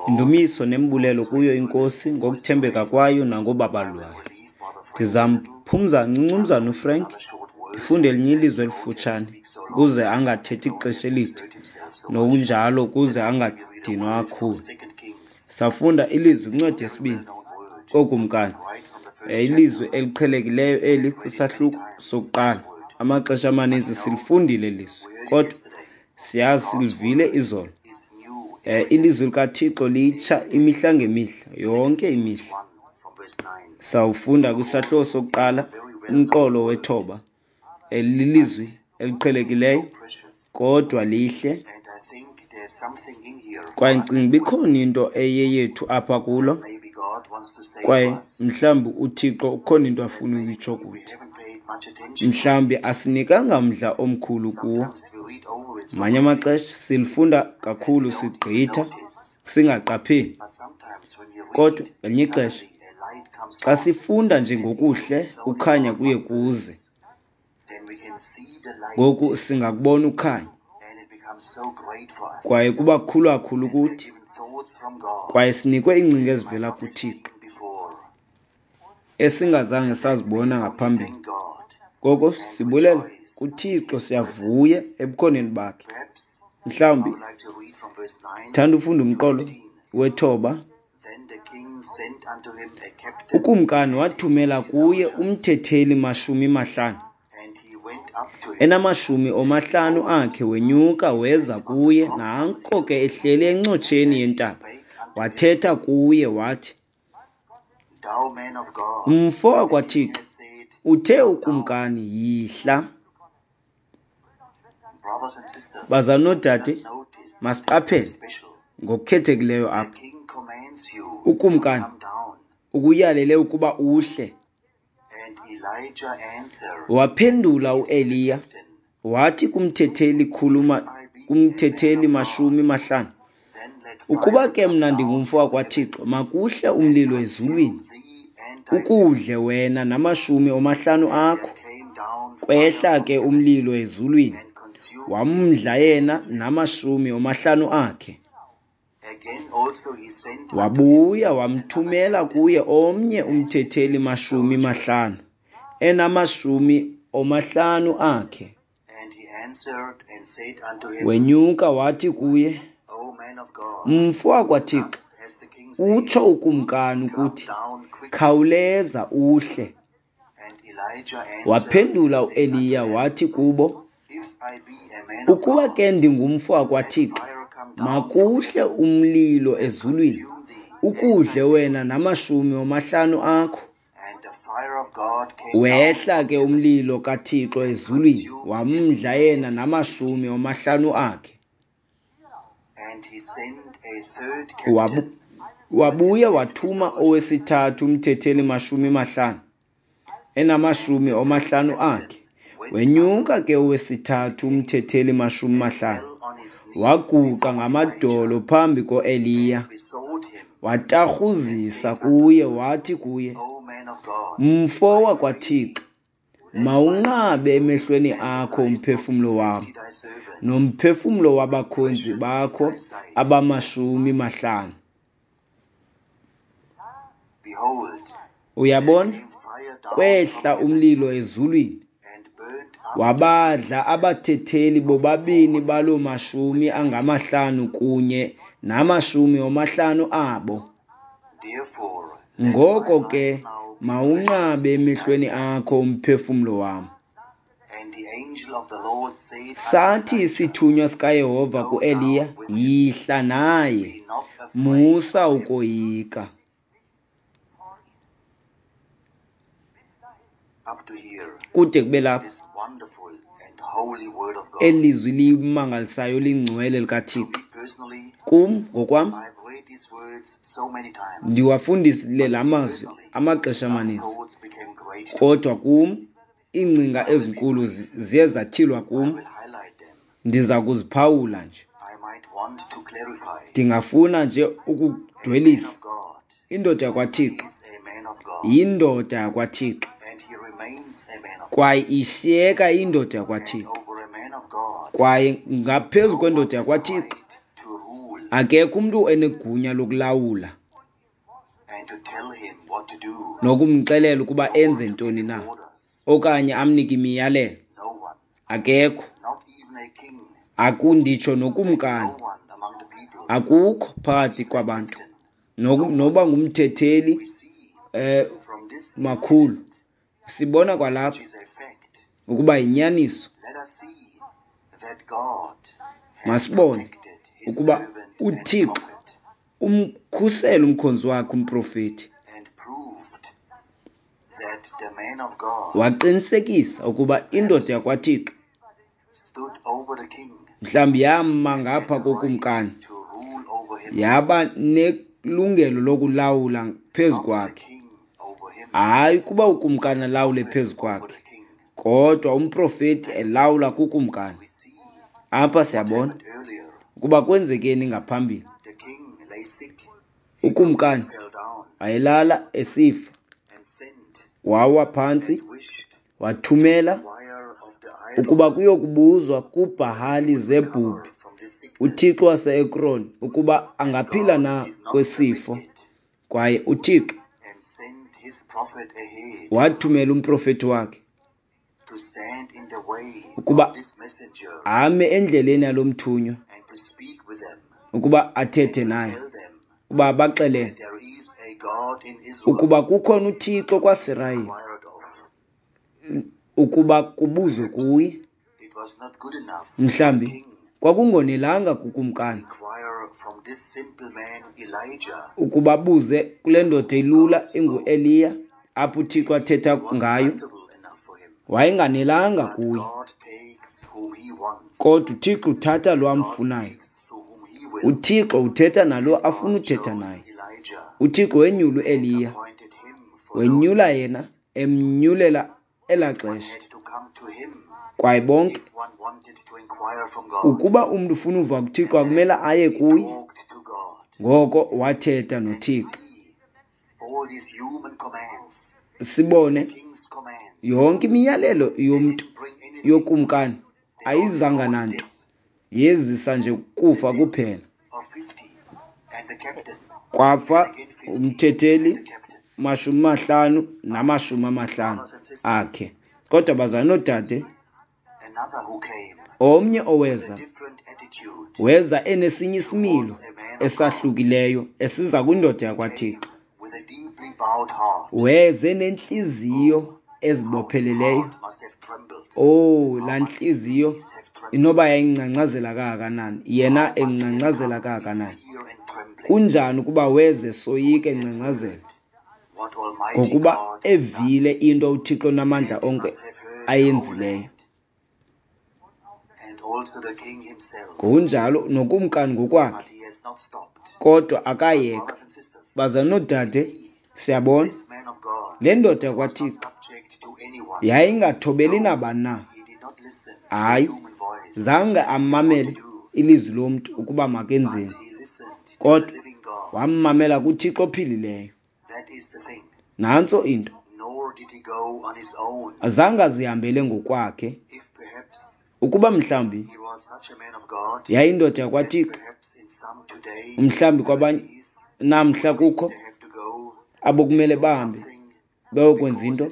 Indumiso nembulelo kuyo iNkosi ngokuthembeka kwayo nangobabalo lwayo. Ndizamphumza ncinci umzana uFrank, ndifunde elinye ilizwi elifutshane ukuze angathethi ixesha elide, nokunjalo ukuze angadinwa kakhulu. Safunda ilizwi kwincwadi yesibini kooKumkani, ilizwi eliqhelekileyo eli kwisahluko sokuqala. Amaxesha amaninzi silifundile lizwi, kodwa siyazi silivile izolo. Ilizwi likaThixo litsha imihla ngemihla, yonke imihla. Sawufunda kwisahluko sokuqala umqolo wethoba. Lilizwi eliqhelekileyo kodwa lihle, kwaye ndicinga uba ikhona into eyeyethu apha kulo, kwaye mhlawumbi uThixo ukhona into afuna uyitsho kuthi. Mhlawumbi asinikanga mdla omkhulu kuwo. Ngamanye amaxesha silifunda kakhulu sigqitha singaqapheli, kodwa ngelinye ixesha xa sifunda nje ngokuhle ukhanya kuye kuze. Ngoku singakubona ukhanya, kwaye kuba kukhulu kakhulu kuthi, kwaye sinikwe iingcinga ezivela kuThixo esingazange sazibona ngaphambili. Ngoko sibulela kuThixo, siyavuya ebukhoneni bakhe. Mhlawumbi thanda ufunda umqolo wethoba. Ukumkani wathumela kuye umthetheli 50, enamashumi omahlanu akhe, wenyuka weza kuye, nanko ke ehleli encotsheni yentaba. Wathetha kuye wathi, Mfo wakwaThixo, uthe ukumkani, yihla. Bazalwana noodade, masiqaphele ngokukhethekileyo apha. Ukumkani ukuyalele ukuba uhle. Waphendula uEliya wathi kumthetheli kumthetheli 50, ukuba ke mna ndingumfo wakwaThixo, makuhle umlilo ezulwini, ukudle wena namashumi omahlanu akho. Kwehla ke umlilo ezulwini, wamdla yena namashumi omahlanu akhe. Wabuya wamthumela kuye omnye umthetheli 50, enamashumi omahlanu akhe. Wenyuka wathi kuye, Mfo wakwaThixo, utsho ukumkani ukuthi, khawuleza uhle. Waphendula uEliya wathi kubo, ukuba ke ndingumfo wakwaThixo, makuhle umlilo ezulwini, ukudle wena namashumi omahlanu akho. Wehla ke umlilo kaThixo ezulwini, wamdla yena namashumi omahlanu akhe. Wabuya wathuma owesithathu umthetheli 50, enamashumi omahlanu akhe. Wenyuka ke owesithathu umthetheli 50, waguqa ngamadolo phambi koEliya, watarhuzisa kuye, wathi kuye, Mfo wakwaThixo, mawunqabe emehlweni akho umphefumlo wam nomphefumlo wabakhonzi bakho abamashumi mahlanu. Uyabona, kwehla umlilo ezulwini, wabadla abathetheli bobabini baloo mashumi angamahlanu kunye namashumi omahlanu abo. Ngoko ke mawunqabe emehlweni akho umphefumlo wam. Sathi isithunywa sikaYehova kuEliya, yihla naye, musa ukoyika. Kude kube lapha, eli lizwi limangalisayo lingcwele likaThixo. Kum ngokwam, ndiwafundisile la mazwi amaxesha amaninzi, kodwa kum iingcinga ezinkulu ziye zatyhilwa kum. Ndiza kuziphawula nje. Ndingafuna nje ukudwelisa. Indoda yakwaThixo yindoda yakwaThixo, kwaye ishiyeka indoda yakwaThixo, kwaye ngaphezu kwendoda yakwaThixo Akekho umntu enegunya lokulawula nokumxelela ukuba enze ntoni na okanye amnike imiyalelo. Akekho. Akunditsho nokumkani. Akukho phakathi kwabantu noba ngumthetheli makhulu. Sibona kwalapha ukuba yinyaniso. Masibone ukuba uThixo umkhusela umkhonzi wakhe umprofeti. Waqinisekisa ukuba indoda yakwaThixo mhlawumbi yama ngapha kokumkani, yaba nelungelo lokulawula phezu kwakhe. Hayi ukuba ukumkani alawule phezu kwakhe, kodwa umprofeti elawula kukumkani. Apha siyabona ukuba kwenzekeni ngaphambili. Ukumkani wayelala esifa, wawa phantsi, wathumela ukuba kuyokubuzwa kuBhahali-Zebhubhi, uthixo wase-Ekron, ukuba angaphila na kwesifo. Kwaye uThixo wathumela umprofeti wakhe ukuba ame endleleni yalo mthunywa, ukuba athethe naye, ukuba abaxelele ukuba kukhona uThixo kwaSirayeli, ukuba kubuzwe kuye. Mhlawumbi kwakungonelanga kukumkani ukuba abuze kule ndoda ilula inguEliya, apho uThixo athetha ngayo. Wayenganelanga kuye, kodwa uThixo uthatha lo amfunayo. uThixo uthetha nalo afuna uthetha naye. uThixo wenyula uEliya, wenyula yena, emnyulela elaa xesha. Kwaye bonke, ukuba umntu ufuna uva kuThixo akumele aye kuye. Ngoko wathetha noThixo. Sibone yonke imiyalelo yomntu yokumkani ayizanga nanto, yezisa nje kufa kuphela. Kwafa umthetheli 50 na-50 akhe. Kodwa bazalwane noodade, omnye oweza weza enesinye isimilo esahlukileyo esiza kwindoda yakwaThixo. Weze nentliziyo ezibopheleleyo. Oh, laa ntliziyo inoba yayingcangcazela kangakanani, yena engcangcazela kangakanani. Kunjani ukuba weze soyika engcangcazela, ngokuba evile into uThixo namandla onke ayenzileyo. Ngokunjalo nokumkani ngokwakhe, kodwa akayeka. Bazalwane noodade, siyabona le ndoda yakwaThixo yayingathobeli nabani na. Hayi, zange amamele ilizwi lomntu ukuba makenzeni, kodwa wammamela kuThixo ophilileyo. Nantso into. Azange azihambele ngokwakhe. Ukuba mhlawumbi yayindoda yakwaThixo, mhlawumbi kwabanye namhla kukho abokumele bahambe bayokwenza into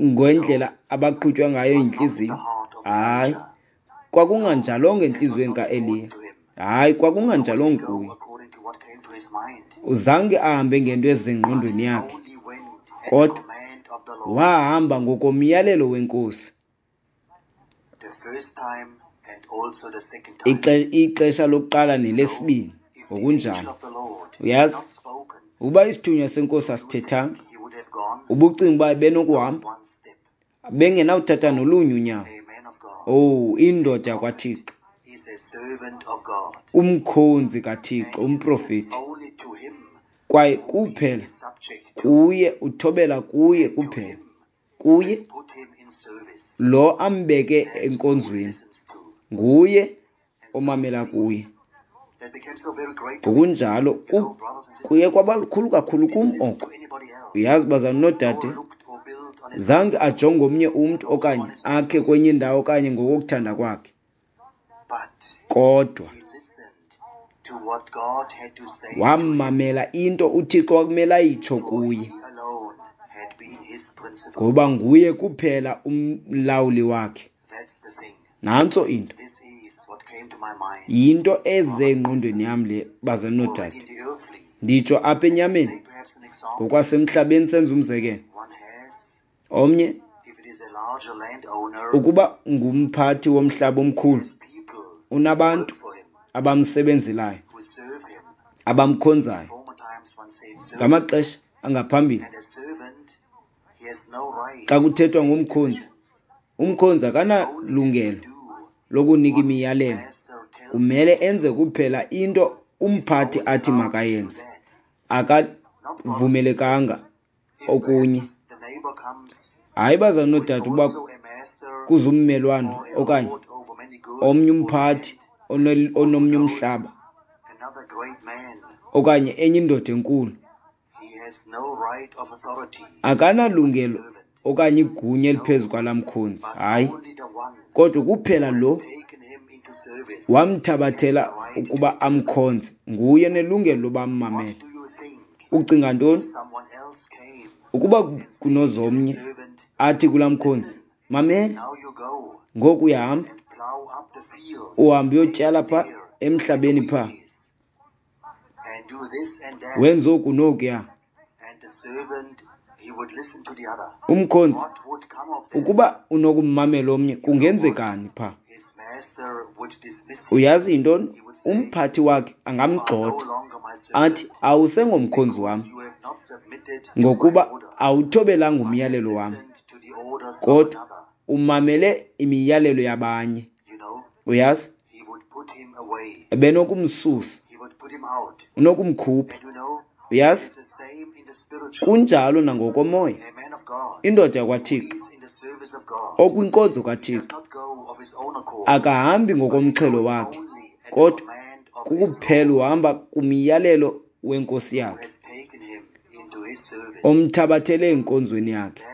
ngendlela abaqhutywa ngayo yintliziyo. Hayi, kwakunganjalongo entliziyweni kaEliya. Hayi, kwakunganjalongo kuye. Uzange ahambe ngento ezingqondweni yakhe, kodwa wahamba ngokomyalelo weNkosi. Ixesha lokuqala nelesibini, ngokunjalo. Uyazi, ukuba isithunywa senkosi asithethanga, ubucinga uba benokuhamba, bengenawuthatha nolunye unyawo. Oh, indoda yakwaThixo, umkhonzi kaThixo, umprofeti. Kwaye kuphela kuye, uthobela kuye kuphela, kuye lo ambeke enkonzweni, nguye omamela kuye. Ngokunjalo kuye kwaba lukhulu kakhulu kum oko. Uyazi, bazalwane noodade, zange ajonge omnye umntu okanye akhe kwenye indawo okanye ngokokuthanda kwakhe, kodwa Wammamela into uThixo wakumele ayitsho kuye, ngoba nguye kuphela umlawuli wakhe. Nantso into. Yinto eze engqondweni yam le, bazalwane noodade. Nditsho apha enyameni, ngokwasemhlabeni senza umzekelo. Omnye, ukuba ngumphathi womhlaba omkhulu, unabantu abamsebenzelayo, abamkhonzayo. Ngamaxesha angaphambili, xa kuthethwa ngomkhonzi, umkhonzi akanalungelo lokunika imiyalelo. Kumele enze kuphela into umphathi athi makayenze. Akavumelekanga okunye. Hayi bazalwane noodade, uba kuze ummelwane okanye omnye umphathi onomnye umhlaba okanye enye indoda enkulu, akanalungelo okanye igunya eliphezu kwalaa mkhonzi. Hayi, kodwa kuphela lo wamthabathela ukuba amkhonze, nguye nelungelo loba ammamele. Ucinga ntoni ukuba kunozomnye athi kulaa mkhonzi, mamela, ngoku uyahamba, uhambe uyotyala pha emhlabeni pha, wenze oku nokuya. Umkhonzi ukuba unokummamela omnye, kungenzekani pha? Uyazi yintoni? Umphathi wakhe angamgxotha athi, awusengomkhonzi wam ngokuba awuthobelanga umyalelo wam, kodwa umamele imiyalelo yabanye. Uyazi, ebenokumsusa, unokumkhupha. Uyazi, kunjalo nangokomoya. Indoda yakwaThixo okwinkonzo kaThixo akahambi ngokomxhelo wakhe, kodwa kukuphela uhamba kumyalelo wenkosi yakhe omthabathele enkonzweni yakhe.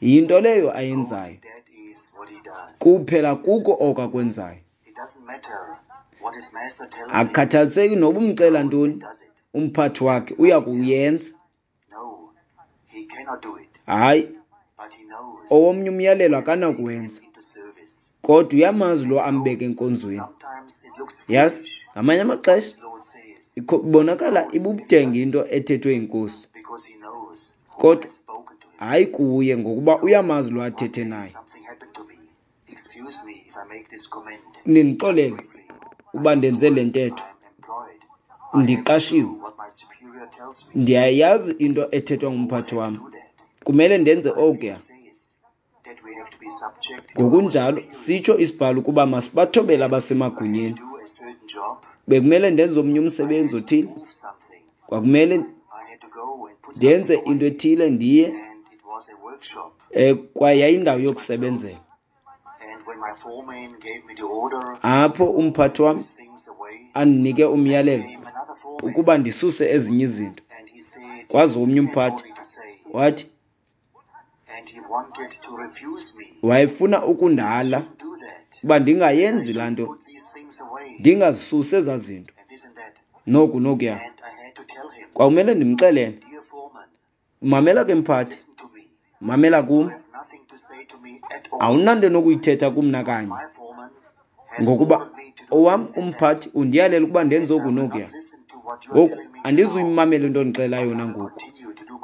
Yinto leyo ayenzayo, kuphela kuko oko akwenzayo. Akukhathaliseki noba umxela ntoni umphathi wakhe, uya kuyenza. Hayi, owomnye umyalelo akanakuwenza, kodwa uyamazi lo ambeke enkonzweni. Yazi, ngamanye amaxesha ibonakala ibubudenge into ethethwe yinkosi, kodwa hayi kuye, ngokuba uyamazi lo athethe naye. Nindixolele uba ndenze le ntetho, ndiqashiwe, ndiyayazi into ethethwa ngumphathi wam, kumele ndenze okuya. Ngokunjalo sitsho isibhalo ukuba masibathobele abasemagunyeni. Bekumele ndenze omnye umsebenzi othile, kwakumele ndenze into ethile, ndiye kwaye yayindawo yokusebenzela. Apho umphathi wam andinike umyalelo ukuba ndisuse ezinye izinto. Kwazi omnye umphathi wathi wayefuna ukundala uba ndingayenzi laa nto, ndingazisusi ezaa zinto, noku nokuya. Kwakumele ndimxelele, mamela ke mphathi, mamela kum, awunanto enokuyithetha kum nakanye, ngokuba owam umphathi undiyalela ukuba ndenze oku nokuya. Ngoku andizuyimamela into ondixelela yona ngoku,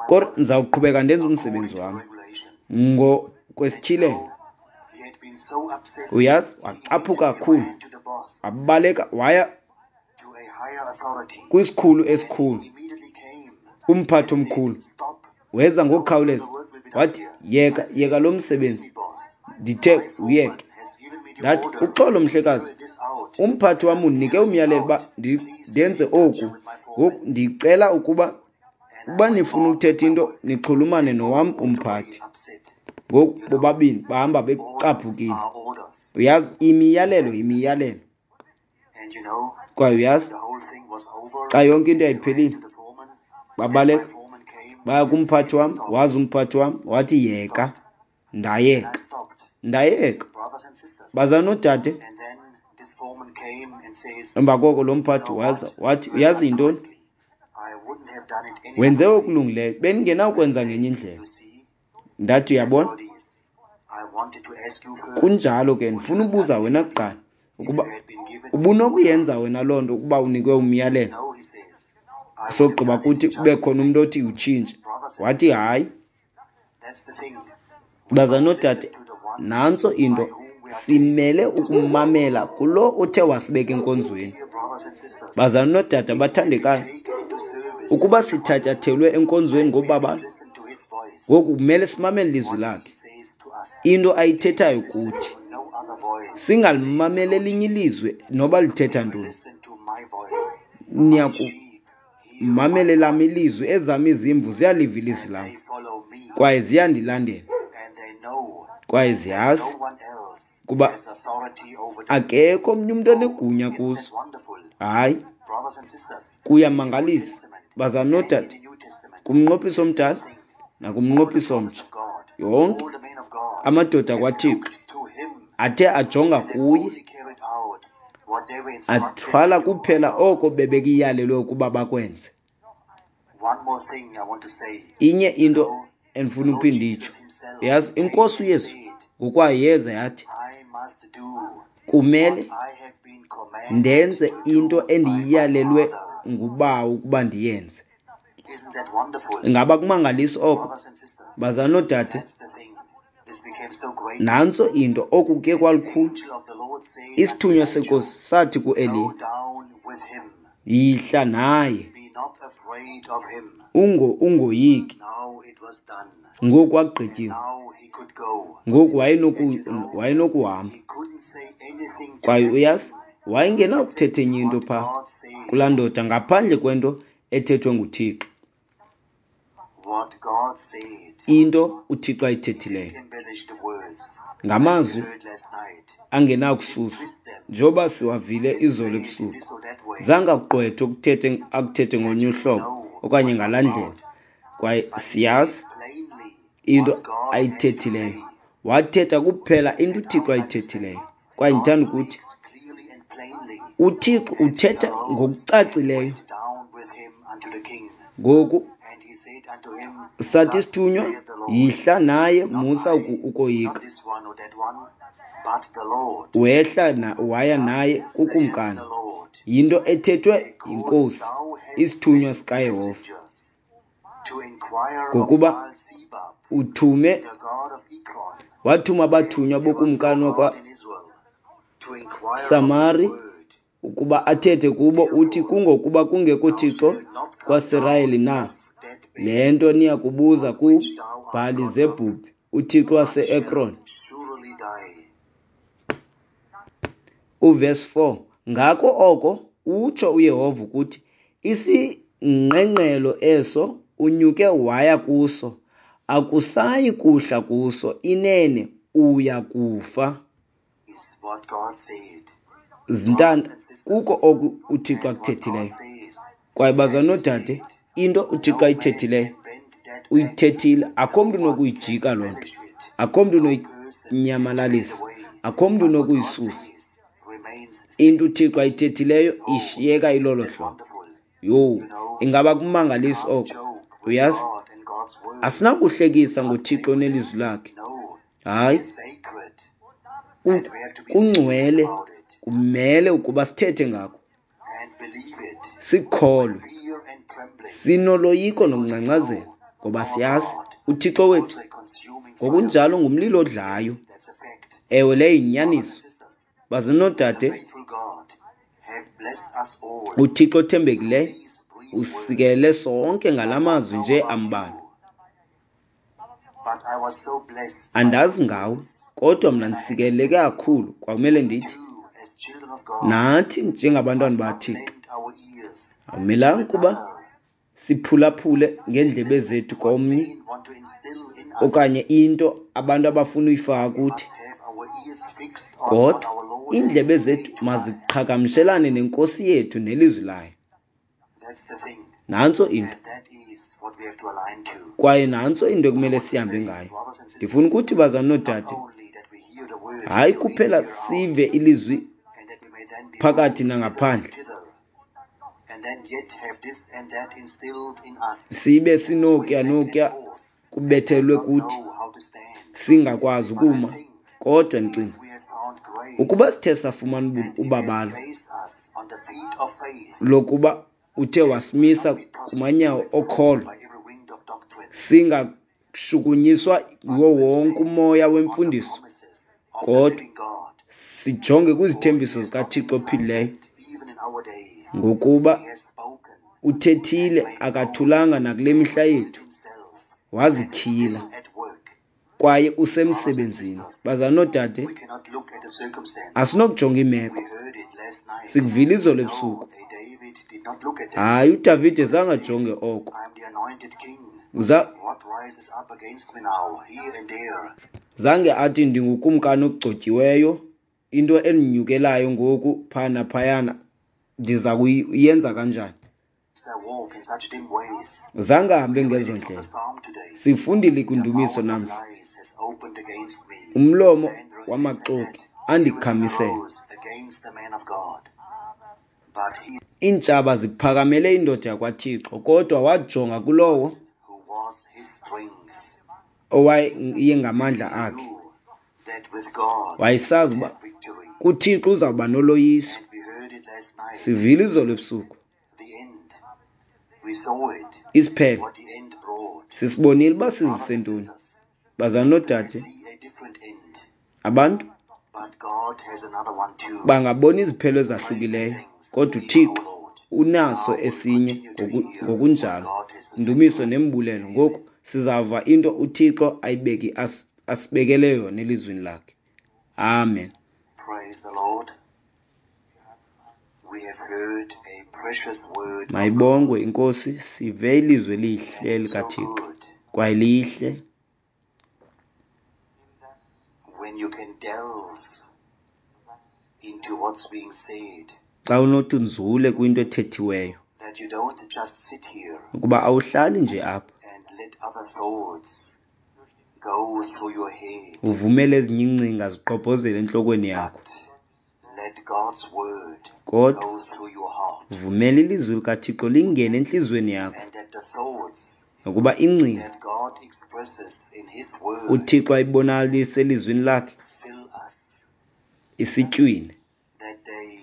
kodwa ndizawuqhubeka ndenze umsebenzi wam ngokwesityhilelo. Uyazi, wacaphuka kakhulu, wabaleka waya kwisikhulu esikhulu, umphathi omkhulu. Weza ngokukhawuleza wathi, yeka, yeka lo msebenzi, ndithe uyeke. Ndathi, uxolo mhlekazi, umphathi wam undinike umyalelo uba ndenze oku. Ngoku ndicela ukuba nifuna ukuthetha into nixhulumane nowam umphathi. Ngoku bobabini bahamba becaphukile. Uyazi, imiyalelo yimiyalelo. Kwaye uyazi, xa yonke into yayiphelile, babaleka baya kumphathi wam. Wazi umphathi wam wathi, yeka. Ndayeka, ndayeka. Bazalwane noodade, Emva koko lo mphathi waza wathi, uyazi yintoni? Wenze okulungileyo, bendingenawukwenza ngenye indlela. Ndathi, uyabona? Kunjalo ke, ndifuna ubuza wena kuqala ukuba ubunokuyenza wena loo nto ukuba unikwe umyalelo. Sogqiba kuthi kube khona umntu othi utshintshe. Wathi hayi. Bazalwana noodade, nantso into, simele ukumamela kulo uthe wasibeka enkonzweni. Bazalwana noodade abathandekayo, ukuba sithatyathelwe enkonzweni ngobabalo, ngoku kumele simamele ilizwi lakhe, into ayithethayo kuthi. Singalimameli elinye ilizwi noba lithetha ntoni. Niyakumamela elam ilizwi, ezam izimvu ziyaliva ilizwi lam kwaye ziyandilandela kwaye ziyazi kuba akekho omnye umntu onegunya kuzo. Hayi, kuyamangalisa. Bazalwana noodade, kumnqophiso omdala nakumnqophiso omtsha, yonke amadoda kwaThixo athe ajonga kuye, athwala kuphela oko bebekuyalelwe ukuba bakwenze. Inye into endifuna uphinda itsho, yazi iNkosi uYesu ngokwayo yeza yathi, kumele ndenze into endiyalelwe nguBawo ukuba ndiyenze. Ingaba kumangalisa oko? Bazalwana noodade, nantso into, oku kuye kwalukhulu. Isithunywa seNkosi sathi kuEliya, yihla naye, ungoyiki. Ngoku kwagqityiwe. Ngoku wayenokuhamba. Kwaye uyazi, wayengenakuthetha enye into phaa kulaa ndoda ngaphandle kwento ethethwe nguThixo. Into uThixo ayithethileyo. Ngamazwi angenakususwa, njengoba siwavile izolo ebusuku. Zange akugqwethe akuthethe ngolunye uhlobo okanye ngalaa ndlela. Kwaye siyazi into ayithethileyo. Wathetha kuphela into uThixo ayithethileyo. Kwaye ndithanda ukuthi uThixo uthetha ngokucacileyo. Ngoku sathi isithunywa, yihla naye, musa ukoyika. Wehla waya naye kukumkani. Yinto ethethwe yiNkosi, isithunywa sikaYehova. Ngokuba uthume, wathuma abathunywa bokumkani wakwaSamari ukuba athethe kubo, uthi kungokuba kungekho Thixo kwaSirayeli na? Le nto niyakubuza kuBhali-Zebhubhi, uThixo wase-Ekron. Uverse 4, ngako oko utsho uYehova ukuthi, isingqengqelo eso unyuke waya kuso, akusayi kuhla kuso, inene uya kufa. Zintanda, kuko oku uThixo akuthethileyo. Kwaye bazalwana noodade, into uThixo ayithethileyo, uyithethile, akho mntu unokuyijika loo nto, akho mntu unoyinyamalalisa, akho mntu unokuyisusa. Into uThixo ayithethileyo ishiyeka ilolo hlobo. Yho, ingaba kumangalisa oko? Uyazi, asinakuhlekisa ngoThixo nelizwi lakhe. Hayi, kungcwele, kumele ukuba sithethe ngako, sikholwe, sinoloyiko nokungcangcazela, ngoba siyazi uThixo wethu ngokunjalo ngumlilo odlayo. Ewe, leyo yinyaniso. Bazalwana noodade, uThixo othembekileyo usikelele sonke ngala mazwi nje ambalwa. Andazi ngawe, kodwa mna ndisikeleleke kakhulu. Kwakumele ndithi nathi njengabantwana baThixo awumelanga ukuba siphulaphule ngeendlebe zethu komnye okanye into abantu abafuna uyifaka kuthi, kodwa iindlebe zethu maziqhagamshelane neNkosi yethu nelizwi layo. Nantso into. Kwaye nantso into ekumele sihambe ngayo. Ndifuna ukuthi bazalwana noodade, hayi kuphela sive ilizwi phakathi nangaphandle, sibe sinokuya nokuya kubethelwe kuthi, singakwazi ukuma. Kodwa ndicinga ukuba sithe safumana ubabalo lokuba uthe wasimisa kumanyawo okholo, singashukunyiswa nguwo wonke umoya wemfundiso, kodwa sijonge kwizithembiso zikaThixo ophilileyo, ngokuba uthethile akathulanga nakule mihla yethu, wazityhila kwaye usemsebenzini. Bazalwana noodade, asinokujonga iimeko. Sikuvile izolo ebusuku. Hayi, uDavide zange ajonge oko. Zange athi ndingukumkani ogcotyiweyo, into endinyukelayo ngoku phaa naphayana ndiza kuyenza kanjani. Zange ahambe ngezo ndlela. Sifundile kwindumiso namhla. Umlomo wamaxoki andikhamisela. Iintshaba ziphakamele indoda yakwaThixo, kodwa wajonga kulowo owayengamandla akhe. Wayesazi uba kuThixo uzawuba noloyiso. Sivile izolo ebusuku. Isiphelo sisibonile uba sizise ntoni. Bazalwana noodade, abantu bangabona iziphelo ezahlukileyo, kodwa uThixo unaso esinye ngokunjalo. Indumiso nembulelo. Ngoku sizava into uThixo ayibeki asibekele yona elizwini lakhe. Amen. Praise the Lord. We have heard a precious word of God. Mayibongwe iNkosi, sive ilizwi elihle And so likaThixo. good Kwaye lihle when you can delve into what's being said, xa unothi unzule kwinto ethethiweyo, that you don't just sit here ukuba awuhlali nje apha and let other thoughts go through your head, uvumele ezinye iingcinga ziqobhozele entlokweni yakho, but let God's word kodwa go through your heart, vumela ilizwi likaThixo lingene entliziyweni yakho, and that the thoughts nokuba ingcinga that God expresses in His word uThixo ayibonakalise elizwini lakhe fill us, isitywine, that they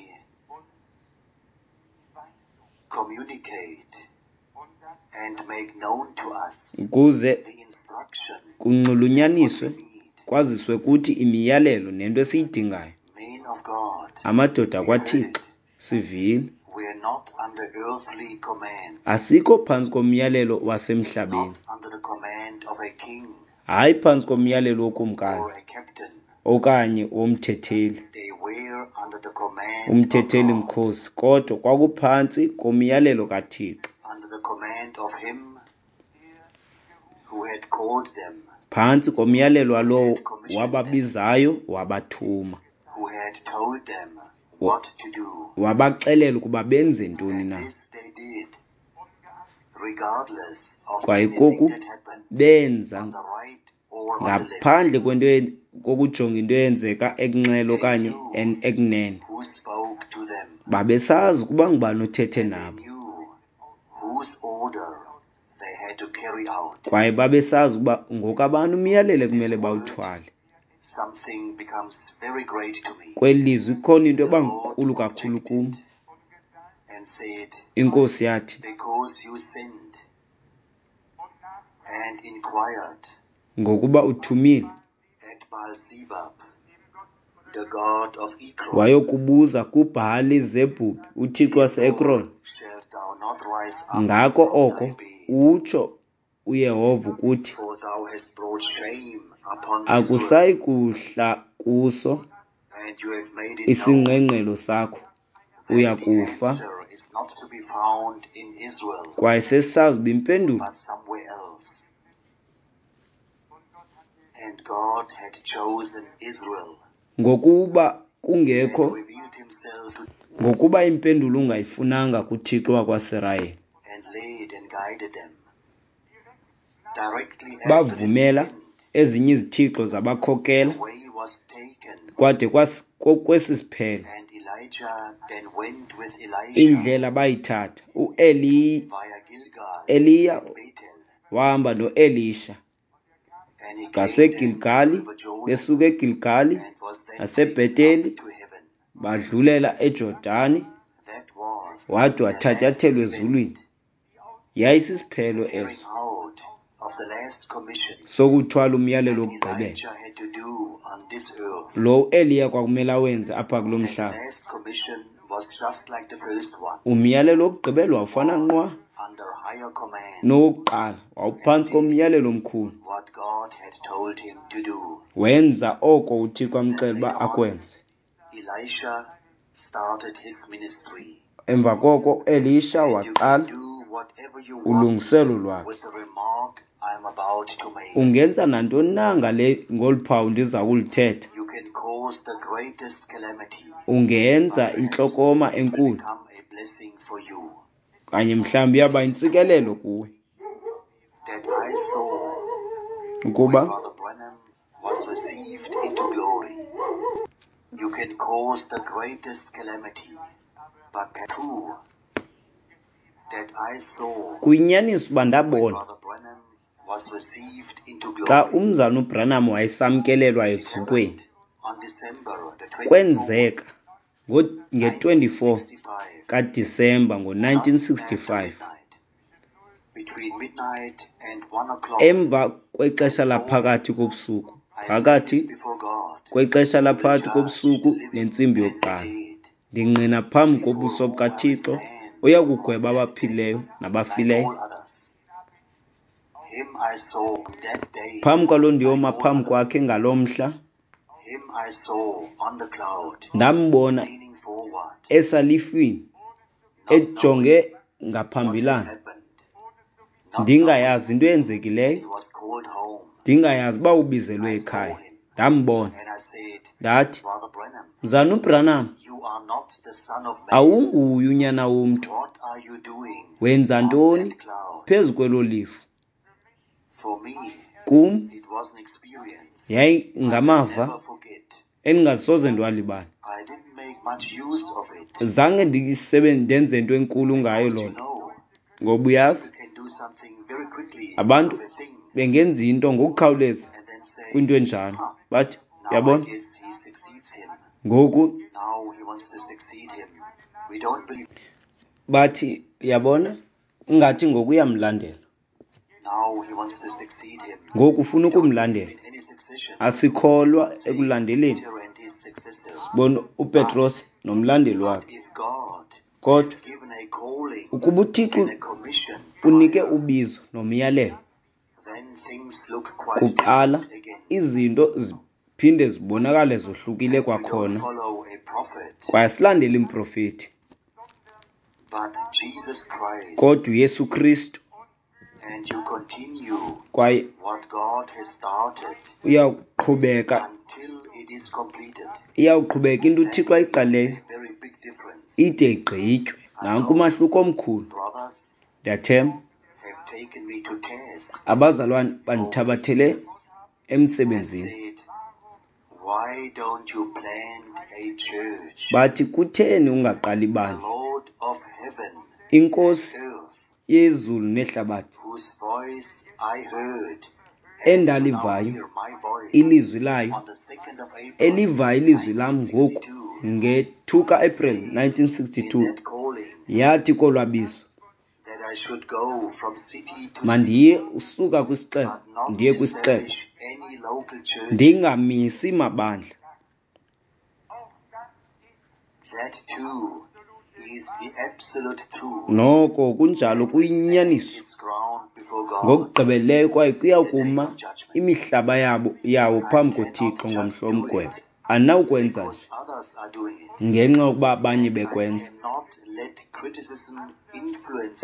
communicate and make known to us ukuze the instruction kunxulunyaniswe we need. kwaziswe kuthi imiyalelo nento esiyidingayo. Men of God, Amadoda we heard kwaThixo, it. sivile. We are not under earthly command, Asikho phantsi komyalelo wasemhlabeni, not under the command of a king hayi phantsi komyalelo wokumkani or a captain. okanye womthetheli, They were under the command of umthetheli God, mkhosi, kodwa kwakuphantsi komyalelo kaThixo, under the command of him who had called them, phantsi komyalelo walowo had commissioned them, wababizayo wabathuma, who had told them what to do. wabaxelela ukuba benze ntoni And na. this they did, regardless of Kwaye anything koku that happened benza on the right or on the left. ngaphandle kwento kokujonga into eyenzeka ekunxele They okanye knew ekunene. who spoke to them. Babesazi ukuba ngubani othethe They nabo, knew whose order they had to carry out. kwaye babesazi ukuba ngokabani umyalelo That ekumele word, bawuthwale. something becomes very great to me. Kweli lizwi ikhona into The eba Lord nkulu kakhulu kum. objected and said, Inkosi yathi, Because you sinned and inquired ngokuba uthumile at Baal-zebub, the god of Ekron, wayokubuza kuBhali-zebhubhi uthixo therefore wase-Ekron, shalt thou not rise up ngako from thy oko bed, utsho uYehova ukuthi, for thou hast brought shame upon Israel, akusayi kuhla kuso and you have made it known isingqengqelo sakho, that uya the kufa. answer is not to be found in Israel, Kwaye sesisazi uba impendulo but somewhere else. And God had chosen Israel ngokuba and kungekho, revealed himself to ngokuba impendulo ungayifunanga kuThixo wakwaSirayeli, and led and guided them directly after this bavumela event. ezinye izithixo zabakhokela The way was taken, kwade kwesi siphelo. and Elijah Indlela bayithatha, uEliya wahamba noElisha ngaseGilgali, besuka eGilgali naseBheteli, badlulela eJordani, wade wathatyathelwa ezulwini. Yayisisiphelo eso sokuthwala umyalelo wokugqibela lo uEliya kwakumele awenze apha kulo mhlaba. Umyalelo wokugqibela wawufana nqwa nowokuqala, wawuphantsi komyalelo omkhulu. Wenza oko uThixo amxelela uba akwenze. Emva koko uElisha waqala ulungiselo lwakhe. Ungenza nantoni na ngale ngolu phawu ndiza kuluthetha? Ungenza intlokoma enkulu kanye mhlawumbi iyawuba yintsikelelo kuwe. Ukuba kuyinyaniso uba ndabona xa umzalwana uBranham wayesamkelelwa ezukweni, kwenzeka nge-24 kaDisemba ngo-1965, emva kwexesha laphakathi kobusuku, phakathi kwexesha laphakathi kobusuku nentsimbi yokuqala, ndingqina phambi kobuso bukaThixo oya kugweba abaphilileyo nabafileyo. Phambi kwaloo ndiyoma phambi kwakhe ngaloo mhla, ndambona esalifwini ejonge ngaphambilana, ndingayazi into eyenzekileyo, ndingayazi uba ubizelwe ekhaya. Ndambona, ndathi, Mzalwana uBranham, awunguye unyana womntu. Wenza ntoni phezu kwelo lifu? Kum yayingamava endingasoze ndiwalibale. Zange ndenze into enkulu ngayo loo nto, ngoba uyazi abantu bengenza into ngokukhawuleza kwinto enjalo, bathi, uyabona, ngoku bathi, uyabona, ingathi ngoku uyamlandela. Ngoku ufuna ukumlandela. Asikholwa ekulandeleni. Sibona uPetros nomlandeli wakhe. Kodwa ukuba uThixo unike ubizo nomyalelo kuqala, izinto ziphinde zibonakale zohlukile kwakhona. Kwaye asilandeli mprofethi, kodwa uYesu Kristu. Kwaye iyawuqhubeka into uThixo ayiqalileyo ide igqitywe. Nanku umahluko omkhulu. Ndiyathemba abazalwane bandithabathele emsebenzini. Bathi, kutheni ungaqali ibandla? INkosi yezulu nehlabathi endalivayo ilizwi layo, elivayo ilizwi lam ngoku nge-2 ka-April 1962, yathi kolwabizo, mandiye usuka kwisixeko ndiye kwisixeko, ndingamisi mabandla. Noko kunjalo kuyinyaniso ngokugqibeleleyo, kwaye kuyawukuma imihlaba yawo phambi koThixo ngomhla womgwebo. Andinawukwenza nje ngenxa yokuba abanye bekwenza,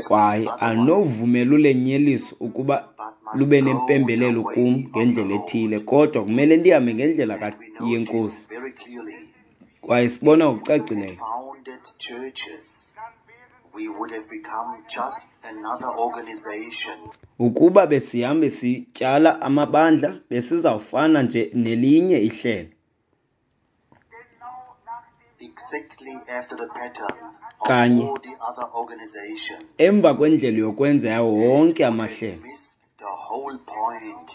kwaye andinowuvumela ulenyeliso ukuba lube nempembelelo kum ngendlela ethile, kodwa kumele ndihambe ngendlela yeNkosi. Kwaye sibona ngokucacileyo ukuba besihambe sityala amabandla, besizawufana nje nelinye ihlelo. Kanye emva kwendlela yokwenza yawo wonke amahlelo,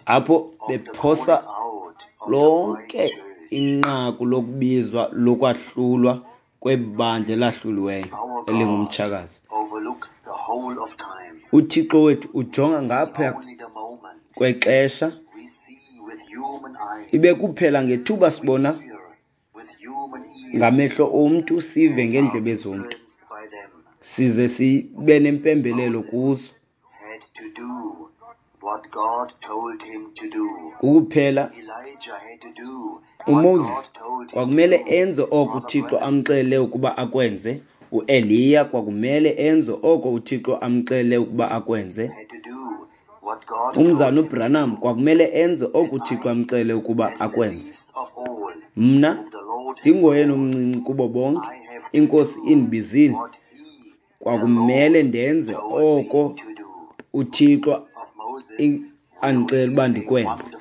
apho bephosa lonke inqaku lokubizwa lokwahlulwa kwebandla elahluliweyo elingumtshakazi. UThixo wethu ujonga ngaphaya kwexesha, ibe kuphela ngethuba sibona ngamehlo omntu, sive ngeendlebe zomntu, size sibe nempembelelo kuzo. Kukuphela uMoses kwakumele enze oko uThixo amxelele ukuba akwenze. UEliya kwakumele enze oko uThixo amxelele ukuba akwenze. Umzana uBranham kwakumele enze oko uThixo amxelele ukuba akwenze. Mna ndingoyena omncinci kubo bonke, iNkosi indibizile, kwakumele ndenze oko uThixo andixelela uba ndikwenze.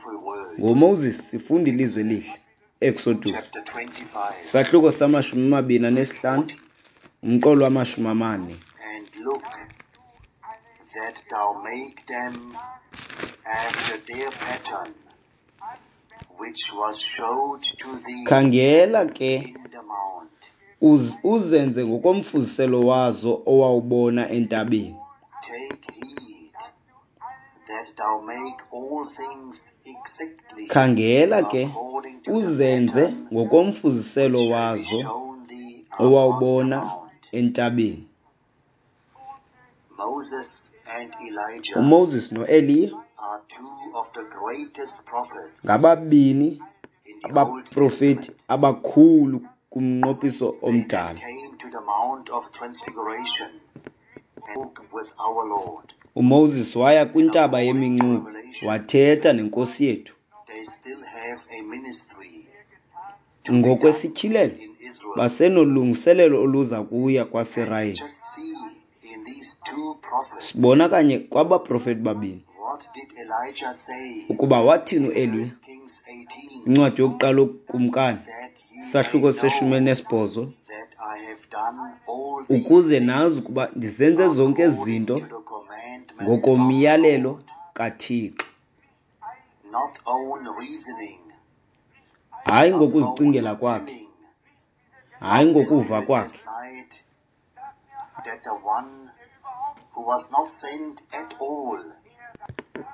NgoMoses sifunda ilizwi elihle, Exodus, isahluko sama-25, umqolo wama-40. And look that thou make them after their pattern, which was showed to thee Khangela ke in the mount. Uzenze ngokomfuziselo wazo owawubona entabeni. Take heed that thou make all things exactly Khangela ke according to the uzenze pattern ngokomfuziselo which shall be wazo shown thee upon the owawubona mount. entabeni. Moses and Elijah uMoses noEliya are two of the greatest prophets ngababini in the Old abaprofeti Testament. abakhulu kumnqophiso They that omdala. came to the Mount of Transfiguration and spoke with our Lord. UMoses waya And kwintaba according to yeminquba Revelation, wathetha nenkosi yethu. they still have a ministry to be done Ngokwesityhilelo in Israel. basenolungiselelo oluza kuya And kwaSirayeli. just see in these two prophets, Sibona kanye kwabaprofeti babini what did Elijah say ukuba wathini in uEliya? 1 Kings 18? Incwadi yokuqala yokukumkani, That ye may isahluko seshumi know elinesibhozo, that I have done all these ukuze things nazi ukuba ndizenze zonke ezi according zinto to the commandment of the ngokomyalelo Lord, kaThixo, not own reasoning, hayi not own ngokuzicingela kwakhe, feeling, hayi not that ngokuva we kwakhe. decide that the one who was not sent at all,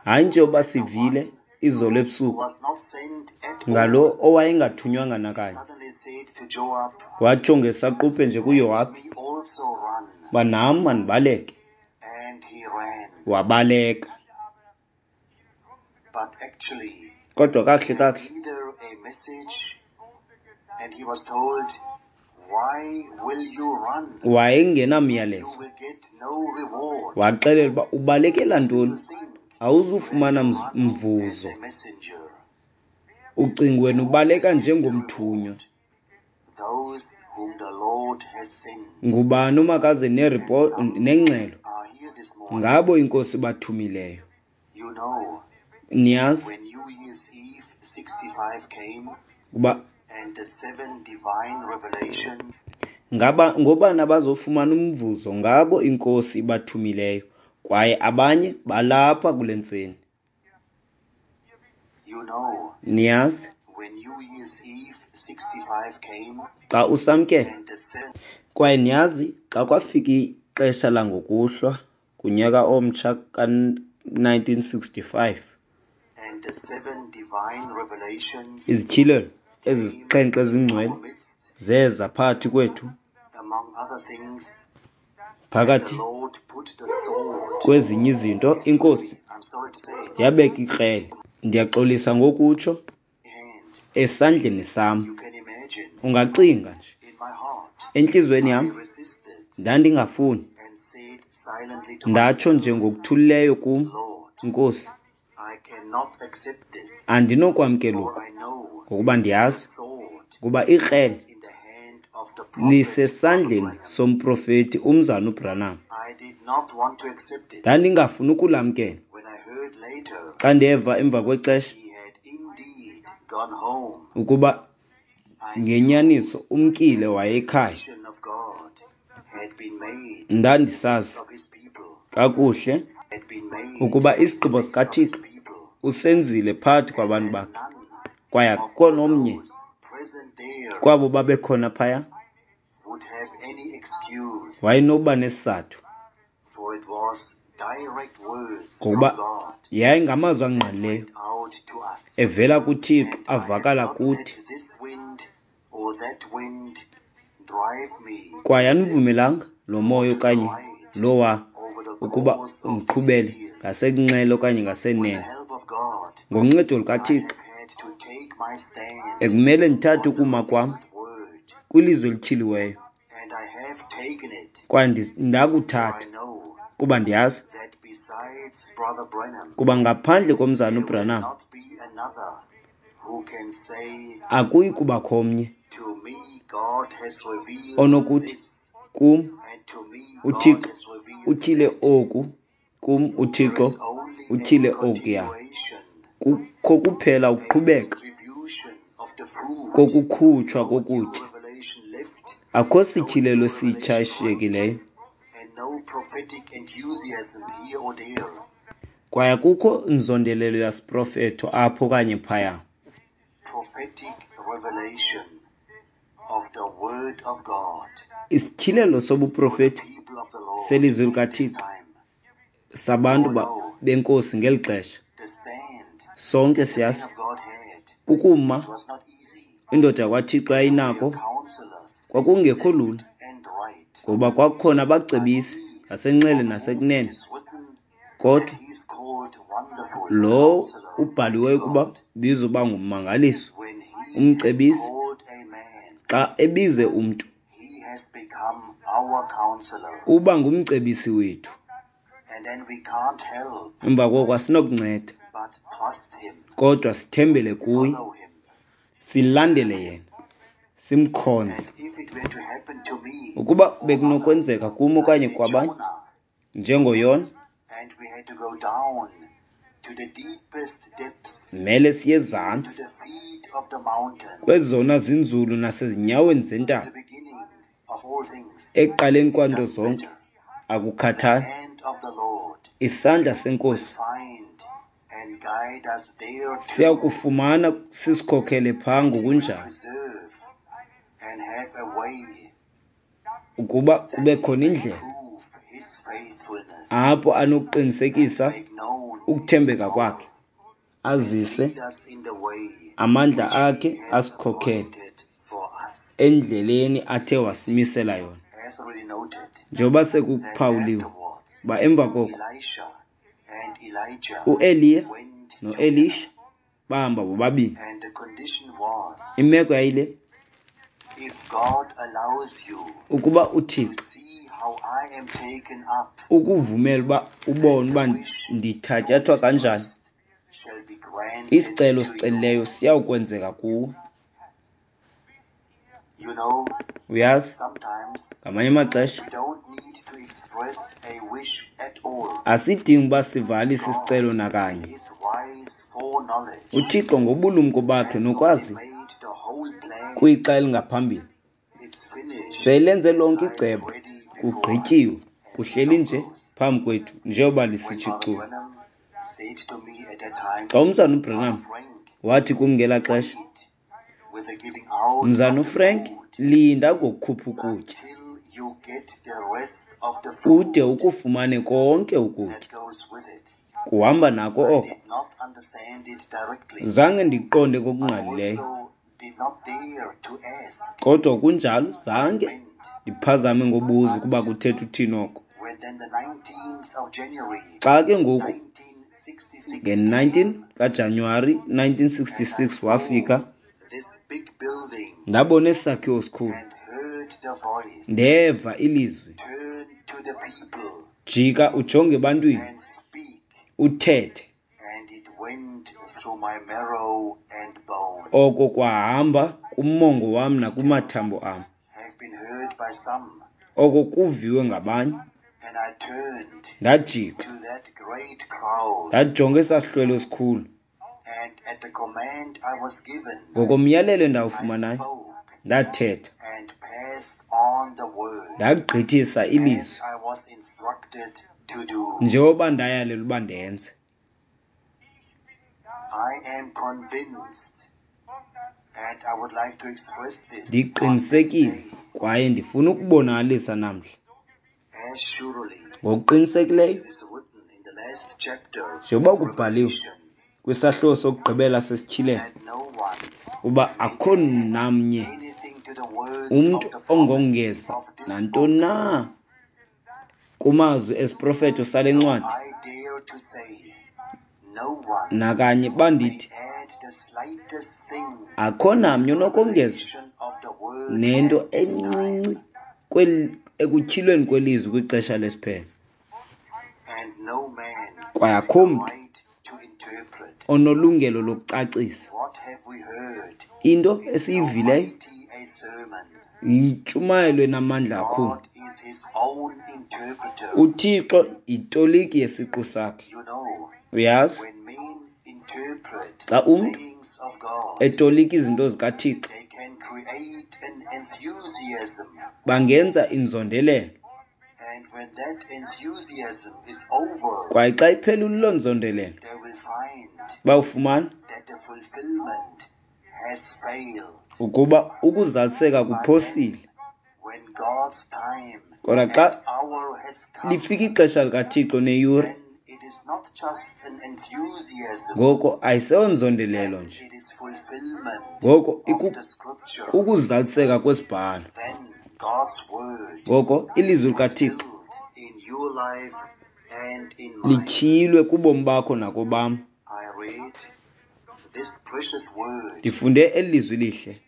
Hayi njengoba the sivile one izolo who ebusuku was not sent at ngalo all, owayengathunywanga nakanye, suddenly said to Joab, watsho ngesaquphe nje Let kuYowabi me also run. uba nam mandibaleke. And he ran. Wabaleka. But actually, Kodwa he kakuhle had kakuhle neither a message, and he was told, Why will you run? You wayengenamyalezo. will get no reward. Waxelela uba ubalekela You ntoni, think you have awuzufumana to run as mvuzo. a messenger. Ucinga wena Who ubaleka will get the njengomthunywa. reward? Those whom the Lord has sent. Ngubani omakaze And some nengxelo are here this morning. ngabo inkosi bathumileyo? You know, Niyazi when New Year's Eve 65 came uba and the seven divine revelations ngaba ngobani abazofumana umvuzo ngabo inkosi ibathumileyo, kwaye abanye balapha kule ntseni. You know, Niyazi when New Year's Eve 65 came xa usamkela, and the seven kwaye niyazi xa kwafika ixesha langokuhlwa kunyaka omtsha ka-1965, and the seven divine revelations izityhilelo came ezisixhenxe in ezingcwele our midst, zeza phakathi kwethu. among other things, that the Phakathi Lord put the sword, kwezinye izinto, excuse inkosi me, I'm sorry to say, yabeka ikrele, ndiyaxolisa ngokutsho, hand. esandleni sam. You can imagine, Ungacinga nje, in my heart, entliziyweni I yam resisted ndandingafuni, and said silently to ndatsho myself, nje ngokuthulileyo kum, Lord, Nkosi, I cannot accept this, andinokwamkela for oku, I know ngokuba the ndiyazi sword ukuba ikrele is in the hand of the prophet Brother lisesandleni Branham. somprofeti umzana uBranham. I did not want to accept it. Ndandingafuni ukulamkela. When I heard later Xa ndeva emva kwexesha he had indeed gone home, ukuba I knew ngenyaniso umkile that the waye ekhaya, revelation of God Ndandisazi kakuhle ukuba isigqibo sikaThixo usenzile phakathi kwabantu bakhe, kwaye akukho nomnye kwabo babekhona phaya wayenokuba nesizathu, ngokuba yayingamazwi angqalileyo evela kuThixo avakala kuthi. Kwaye andivumelanga lo moya okanye lowa ukuba undiqhubele ngasekunxele okanye ngasenene. Ngoncedo lukaThixo ekumele ndithathe ukuma kwam kwilizwi elityhiliweyo, kwaye ndakuthatha kuba ndiyazi kuba ngaphandle komzana uBranham akuyi kubakho omnye onokuthi kum uThixo utyhile oku, kum uThixo utyhile okuya. Kukho kuphela ukuqhubeka kokukhutshwa kokutya. Akukho sityhilelo esitsha eshiyekileyo, kwaye akukho nzondelelo yasiprofeto apho okanye phaya. Isityhilelo sobuprofeti selizwi likaThixo sabantu benkosi ngeli xesha. Sonke siyazi ukuma indoda yakwaThixo yayinako kwakungekho lula, ngoba kwakukhona abacebisi ngasenxele nasekunene, kodwa lo ubhaliweyo ukuba ubizwa uba ngummangaliso, umcebisi, xa ebize umntu uba ngumcebisi wethu. Emva koko asinokunceda kodwa sithembele kuye, silandele yena, simkhonze. Ukuba bekunokwenzeka kum okanye kwabanye, njengoYona, mele siye ezantsi kwezona zinzulu nasezinyaweni zentaba, ekuqaleni kwanto zonke, akukhathali. Isandla seNkosi siyakufumana sisikhokhele phaa ngokunjalo, ukuba kube khona indlela apho anokuqinisekisa ukuthembeka kwakhe, azise amandla akhe, asikhokhele endleleni athe wasimisela yona. Njengoba sekuphawuliwe uba emva koko uEliya noElisha bahamba bobabini. Imeko yayile, ukuba uThixo ukuvumela uba ubone uba ndithatyathwa kanjani, isicelo osicelileyo siyawukwenzeka kuwe. Uyazi, ngamanye amaxesha asidingi uba sivalise isicelo nakanye. UThixo ngobulumko bakhe nokwazi kwixa elingaphambili selenze lonke icebo, kugqityiwe, kuhleli nje phambi kwethu njengoba lisitsho iculo. Xa umzana uBranham wathi kum ngelaa xesha, mzana uFrank, linda ngokukhupha ukutya ude ukufumane konke ukutya kuhamba nako oko. Zange ndiqonde ngokungqalileyo, kodwa kunjalo zange ndiphazame ngobuza ukuba kuthetha uthini oko. Xa ke ngoku nge-19 kaJanuwari 1966 wafika, ndabona esi sakhiwo sikhulu, ndeva ilizwi, jika ujonge ebantwini, uthethe. Oko kwahamba kumongo wam nakumathambo am. Oko kuviwe ngabanye. Ndajika ndajonga esaa sihlwele esikhulu. Ngokomyalelo endawufumanayo, ndathetha. Ndagqithisa ilizwi njengoba ndayalelwa uba ndenze. Ndiqinisekile kwaye ndifuna ukubonakalisa namhla ngokuqinisekileyo njengoba kubhaliwe kwisahluko sokugqibela sesityhilelo uba akho namnye umntu ongongeza nantoni na kumazwi esiprofeto sale ncwadi. Nakanye bandithi akho namnye onokongeza nento encinci ekutyhilweni kwelizwi kwixesha lesiphelo. Kwaye akho mntu onolungelo lokucacisa into esiyivileyo yintshumayelo enamandla kakhulu. UThixo yitoliki yesiqu sakhe. Uyazi, xa umntu etolika izinto zikaThixo, bangenza inzondelelo. Kwaye xa iphelile loo nzondelelo, bawufumana ukuba ukuzaliseka kuphosile. Kodwa xa lifika ixesha likaThixo neyure, ngoko ayiseyonzondelelo nje, ngoko kukuzaliseka kwesibhalo. Ngoko ilizwi likaThixo lityhilwe kubomi bakho nakobam. Ndifunde eli lizwi lihle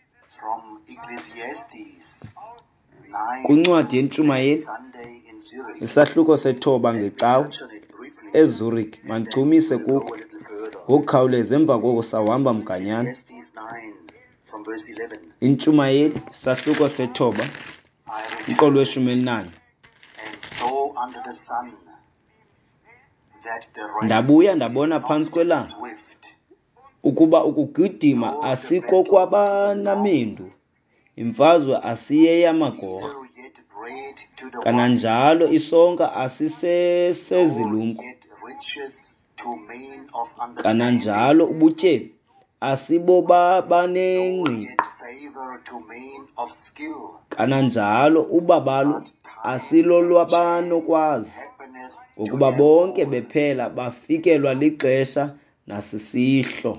kwincwadi yeNtshumayeli, isahluko 9 ngeCawa eZurich. Mandichumise kuko ngokukhawuleza, emva koko sawuhamba mganyana. Intshumayeli, isahluko 9, umqolo we-14. Ndabuya ndabona phantsi kwelanga ukuba ukugidima asikokwabanamendu, imfazwe asiyeyamagorha, kananjalo isonka asisesezilumko, kananjalo ubutyebi asibobabanengqiqo, kananjalo ubabalo asilolwabanokwazi, ngokuba bonke bephela bafikelwa lixesha nasisihlo.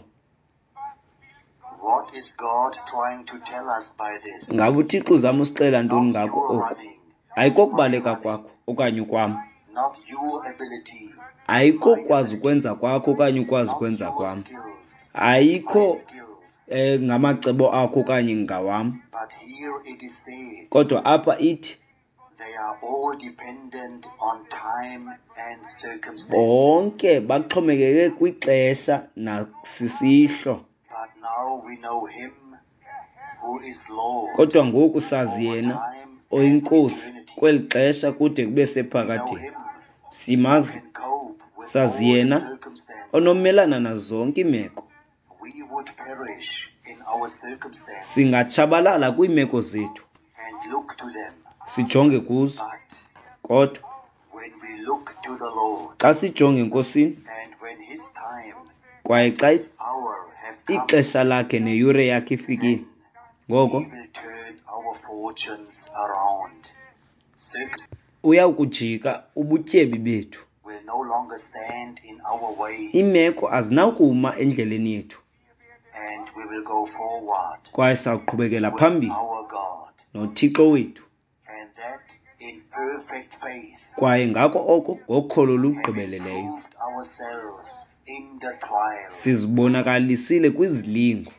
Ngaba uThixo uzama usixelela ntoni ngako oku? Ayikokubaleka kwakho okanye okwam, ayikokwazi ukwenza kwakho okanye ukwazi ukwenza kwam, ayikho ngamacebo akho okanye ngawam. Kodwa apha ithi bonke baxhomekeke kwixesha nasisihlo. Kodwa ngoku sazi yena oyiNkosi kweli xesha kude kube sephakadeni. Simazi, sazi yena onomelana nazo zonke iimeko. Singatshabalala kwiimeko zethu sijonge kuzo, kodwa xa sijonge eNkosini kwaye xa ixesha lakhe neyure yakhe ifikile, ngoko uyawukujika ubutyebi bethu. Iimeko azinakuma endleleni yethu, kwaye sawuqhubekela phambili noThixo wethu, kwaye ngako oko ngokholo olugqibeleleyo sizibonakalisile kwizilingo.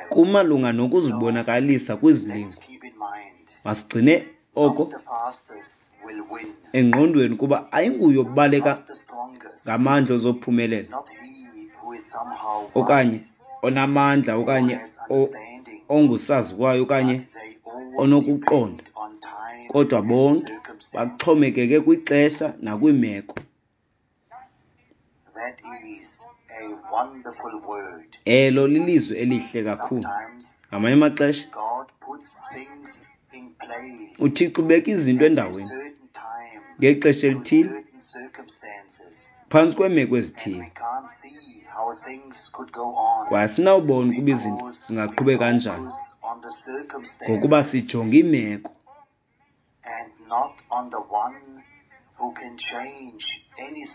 Kumalunga nokuzibonakalisa kwizilingo. Masigcine oko engqondweni kuba ayinguye obaleka ngamandla ozophumelela okanye onamandla okanye ongusaziwayo okanye onokuqonda, kodwa bonke baxhomekeke kwixesha nakwiimeko. Elo lilizwi elihle kakhulu. Ngamanye amaxesha uThixo ubeka izinto endaweni ngexesha elithile, phantsi kweemeko ezithile, kwaye asinawubona ukuba izinto zingaqhubeka kanjani ngokuba sijonge iimeko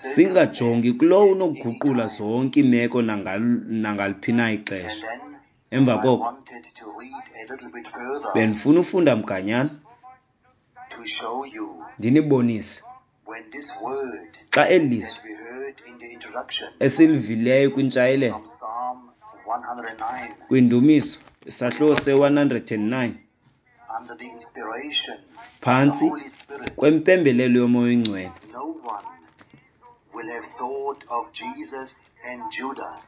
singajongi kulowo unokuguqula zonke iimeko nangaliphi na ixesha. Emva koko bendifuna ufunda mganyana ndinibonise xa eli lizwi esilivileyo kwintshayelelo kwindumiso isahluko se-109 phantsi kwempembelelo yoMoya oyiNgcwele,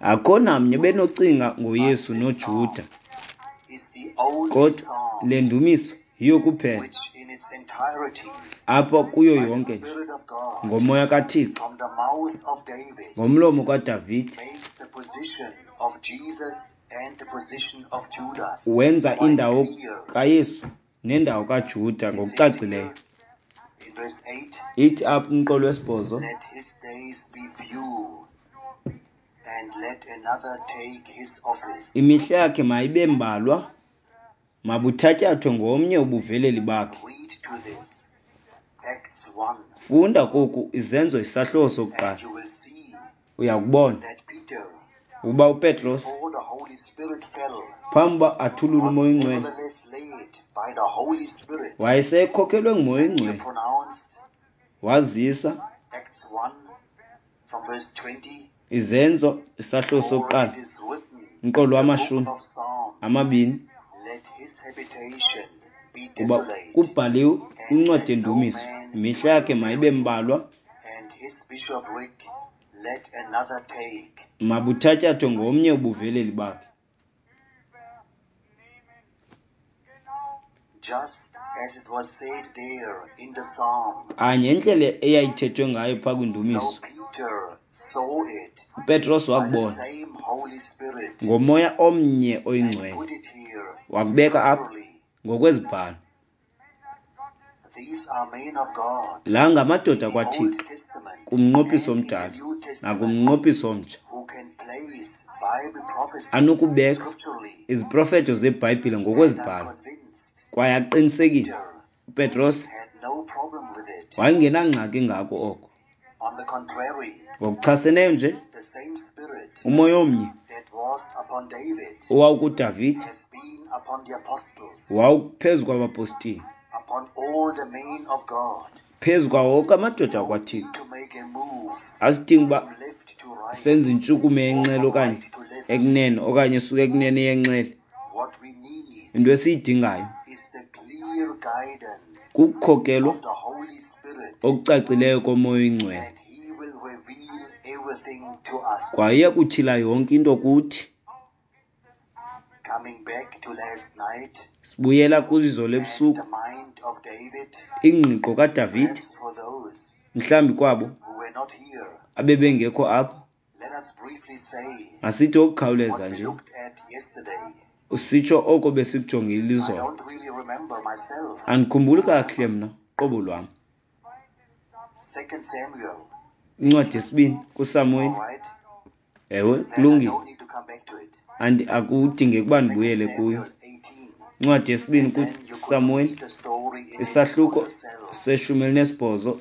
akho namnye benocinga ngoYesu noJuda, kodwa le ndumiso yiyo kuphela apha kuyo yonke nje ngoMoya kaThixo ngomlomo kaDavide wenza indawo kaYesu nendawo kaJuda ngokucacileyo. Ithi apha umqolo wesibhozo, imihla yakhe mayibe mbalwa, mabuthatyathwe ngomnye ubuveleli bakhe. Funda koku Izenzo isahluko sokuqala, uyakubona ukuba uPetros phambi uba athulule uMoya oyiNgcwele wayesekhokelwe nguMoya oyiNgcwele, wazisa Izenzo isahluko sokuqala umqolo wama-20, kuba kubhaliwe kwincwadi yendumiso, imihla yakhe mayibe mbalwa, mabuthatyathwe ngomnye ubuveleli bakhe. Kanye indlela eyayithethwe ngayo phaa kwindumiso, uPetros wakubona ngoMoya omnye oyiNgcwele, wakubeka apha ngokwezibhalo. La ngamadoda kwaThixo kumnqophiso omdala nakumnqophiso omtsha anokubeka iziprofeto zeBhayibhile ngokwezibhalo, kwaye aqinisekile uPetros wayengenangxaki ngako oko. Ngokuchaseneyo nje, uMoya omnye owawukuDavide wawuphezu kwabapostile, phezu kwawo wonke amadoda akwaThixo. Asidingi uba senze intshukumo yenxele okanye ekunene okanye esuka ekunene yenxele. Into esiyidingayo kukukhokelwa okucacileyo koMoya oyiNgcwele, kwaye uyakutyhila yonke into kuthi. Sibuyela kwizolo ebusuku, ingqiqo kaDavide, mhlawumbi kwabo abebengekho apha, masithi ngokukhawuleza nje usitsho oko besikujongile izolo. Andikhumbuli kakuhle mna qobo lwam. Incwadi yesibini kuSamuweli. Ewe, kulungile. Akudingeki uba ndibuyele kuyo. Incwadi yesibini kuSamuweli, isahluko se-18,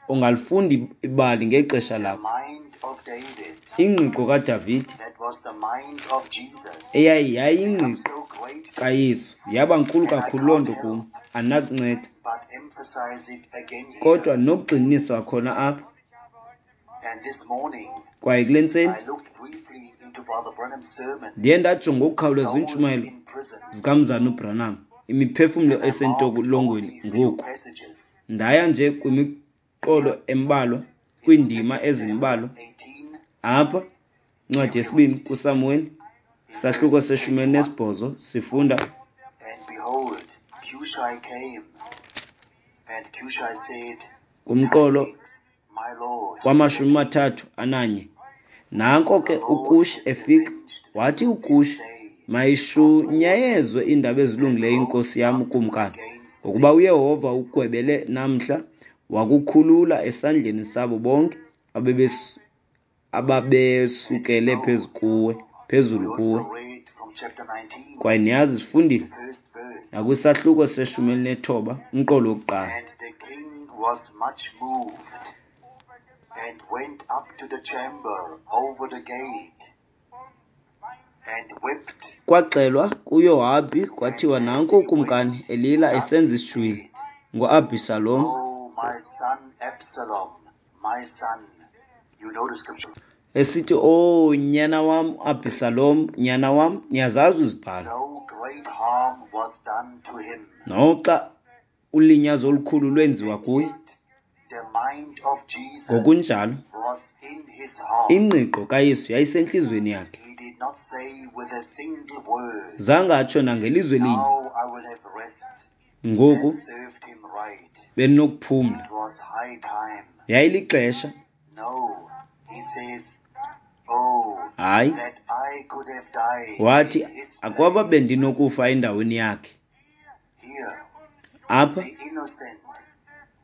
ungalifunda ibali ngexesha lakho. Ingqiqo kaDavide eyayingqiqo kaYesu yaba nkulu kakhulu loo nto kum, andinakunceda. Kodwa nokugxininisa khona apha. Kwaye kule ntseni ndiye ndajonga ngokukhawuleza iintshumayelo zikaMzana uBranham, imiphefumlo esentolongweni ngoku. Ndaya nje kwimiqolo embalwa, kwiindima ezimbalwa. Apha, incwadi yesibini kuSamuweli, isahluko se-18, sifunda kumqolo wama-31. Nanko ke uKushi efika, wathi uKushi, Mayishunyayezwe iindaba ezilungileyo inkosi yam ukumkani, ngokuba uYehova ugwebele namhla wakukhulula esandleni sabo bonke ababesukele phezulu We kuwe. also read from chapter 19, Kwaye niyazi sifundile the first verse. nakwisahluko se-19 umqolo wokuqala. And the king was much moved and went up to the chamber over the gate and wept. Kwaxelwa kuYohabhi kwathiwa nanku ukumkani elila esenza isijwili ngoAbhisalom. Oh, my son Absalom, my son. You know the scripture. Esithi, "Oh, nyana wam Abhisalom, nyana wam, niyazazi izibhalo." No great harm was done to him. Noxa ulinyazo olukhulu lwenziwa kuye. The mind of Jesus Ngokunjalo, was in his heart. ingqiqo kaYesu yayisentliziyweni yakhe. He did not say with a single word, Zange atsho nangelizwi elinye. Now I will have rest. Ngoku That served him right. bendinokuphumla. It was high time. Yayilixesha. No, he says, Oh, Hayi. that I could have died Wathi in his akwaba place. bendinokufa endaweni yakhe. Here, Apha the innocent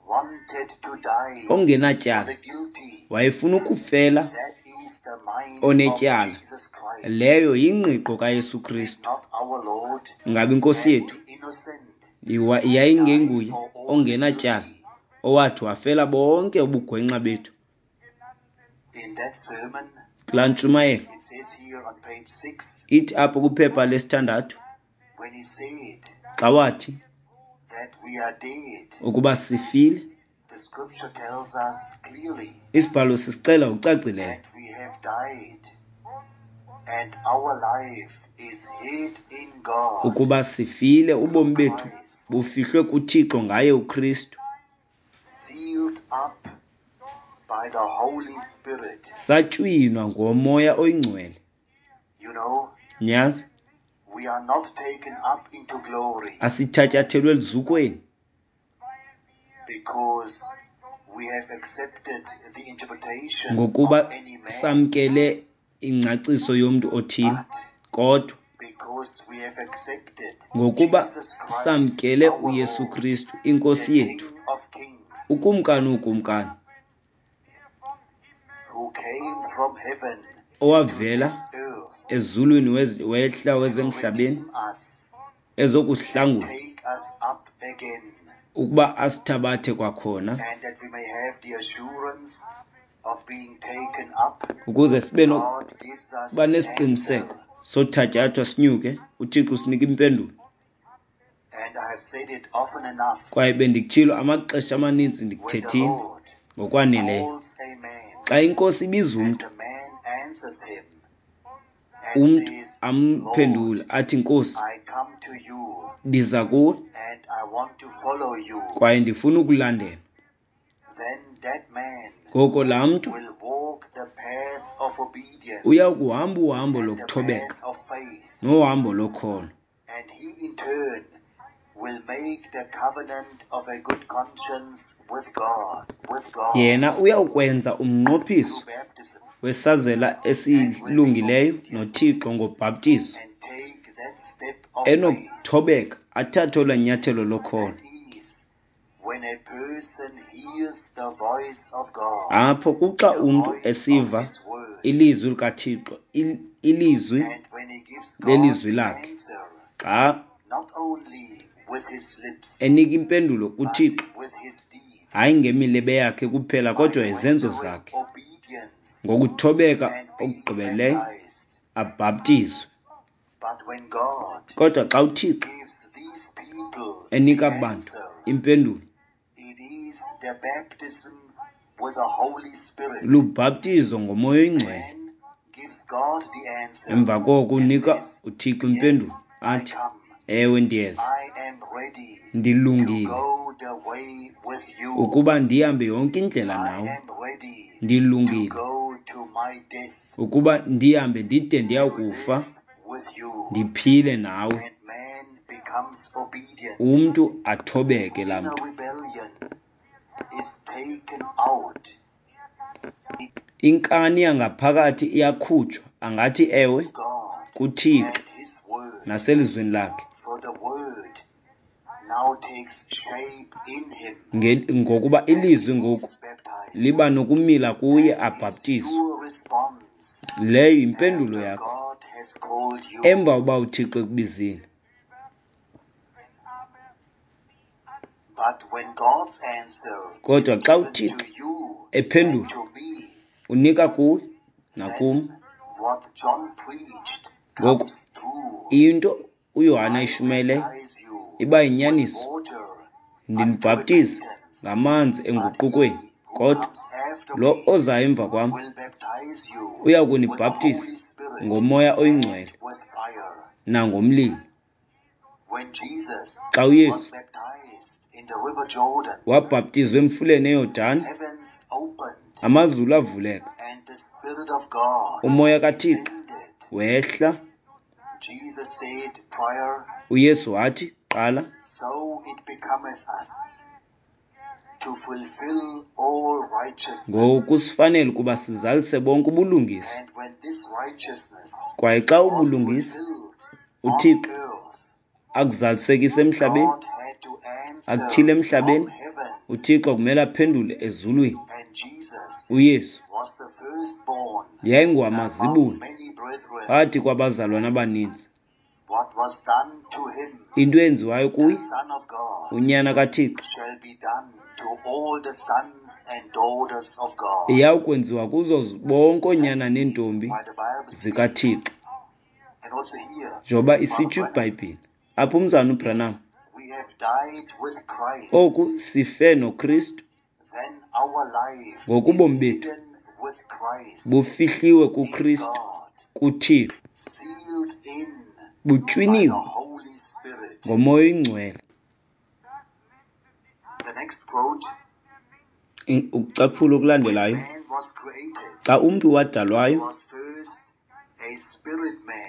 wanted to die for ongenatyala the guilty. wayefuna ukufela That is the mind of onetyala. Jesus Christ, Leyo yingqiqo kaYesu Kristu. not our Lord. Ngabe inkosi And yethu the innocent yayingenguye died for all the ongenatyala guilty. owathi wafela bonke ubugwenxa bethu. In that sermon, Kulaa ntshumayelo it says here on page 6, ithi apho kwiphepha lesithandathu when he said xa wathi that we are dead, ukuba sifile, the scripture tells us clearly isibhalo sisixela ngokucacileyo that we have died and our life is hid in God ukuba sifile, ubomi through bethu Christ, bufihlwe kuThixo ngaye uKristu, sealed up by the Holy Spirit. Satywinwa ngoMoya oyiNgcwele. You know, Niyazi, we are not taken up into glory asithatyathelwe eluzukweni because we have accepted the interpretation of ngokuba any man, samkele ingcaciso yomntu othile, but kodwa because we have accepted ngokuba Jesus Christ samkele our uYesu Lord, Kristu the inkosi yethu, King of Kings, ukumkani wokumkani, who came from heaven to owavela this earth ezulwini wehla to wezemhlabeni redeem us ezokuhlangula and take us up again, ukuba asithabathe kwakhona, and that we may have the assurance of being taken up. ukuze sibe God gives us nokuba the nesiqiniseko answer. sothatyathwa sinyuke. uThixo usinika impendulo. And I have said it often enough, Kwaye bendikutshilo amaxesha amaninzi, when the ndikuthethile Lord ngokwaneleyo, calls a man xa inkosi ibiza and umntu, the man answers him and umntu says, Lord, amphendule athi, Nkosi, I come to you ndiza kuwe and I want to follow you, kwaye ndifuna ukulandela, then that man ngoko laa mntu will walk the path of obedience uya kuhamba uhambo and the lokuthobeka path of faith, nohambo lokholo, and he in turn will make the covenant of a good conscience with God Yena uyawukwenza umnqophiso through baptism wesazela and will be esilungileyo obedient noThixo ngobhaptizo, and take that step of faith. enokuthobeka athathe olwaa nyathelo lokholo. That is when a person hears the voice of God, Apho kuxa the umntu voice of esiva his word, ilizwi likaThixo, ilizwi and when he gives God lelizwi the lakhe, answer, xa not only with his lips, enika impendulo but kuThixo, with his deeds, hayi ngemilebe yakhe kuphela by kodwa izenzo rendering zakhe, obedience ngokuthobeka and being okugqibeleleyo baptized. abhaptizwe. But when God Kodwa xa uThixo gives these people the enika bantu answer, impendulo, it is the baptism with the Holy Spirit. lubhaptizo ngoMoya oyiNgcwele. Man gives God the answer Emva koko and unika says, uThixo Yes, impendulo I athi, come. Ewe, ndiyeza, I am ready to ndilungile go the way with you. ukuba ndihambe yonke indlela I nawe, am ready to ndilungile go to my death ukuba ndihambe ndide to ndiyakufa, live with you. ndiphile nawe. And man becomes obedient. Umntu athobeke laa Inner mntu. rebellion is taken out. Inkani yangaphakathi iyakhutshwa, angathi ewe God kuThixo and his naselizwini lakhe. Ngokuba ilizwi ngoku liba nokumila kuye abhaptizwe. Leyo yimpendulo yakho emva uba uThixo ekubizile. Kodwa xa uThixo ephendula, unika kuwe nakum. Ngoku into uYohane ayishumayeleyo iba yinyaniso. Ndinibhaptiza ngamanzi enguqukweni, kodwa lo ozayo emva kwam uya kunibhaptiza ngoMoya oyiNgcwele nangomlilo. Xa uYesu wabhaptizwa emfuleni eYordani, amazulu avuleka, uMoya kaThixo wehla. UYesu wathi qala, ngoku sifanele ukuba sizalise bonke ubulungisa. Kwaye xa ubulungisa uThixo akuzalisekisa emhlabeni, akutyhile emhlabeni, uThixo kumele aphendule ezulwini. UYesu yayingowamazibulo phakathi kwabazalwana abaninzi. Into eyenziwayo kuye, uNyana kaThixo, iyawukwenziwa kuzo bonke oonyana neentombi zikaThixo. Njengoba isitsho iBhayibhile apho umzalwana uBranham, oku sife noKristu, ngoku ubomi bethu bufihliwe kuKristu, kuThixo, butywiniwe ngoMoya oyiNgcwele. Ukucaphula okulandelayo, xa umntu wadalwayo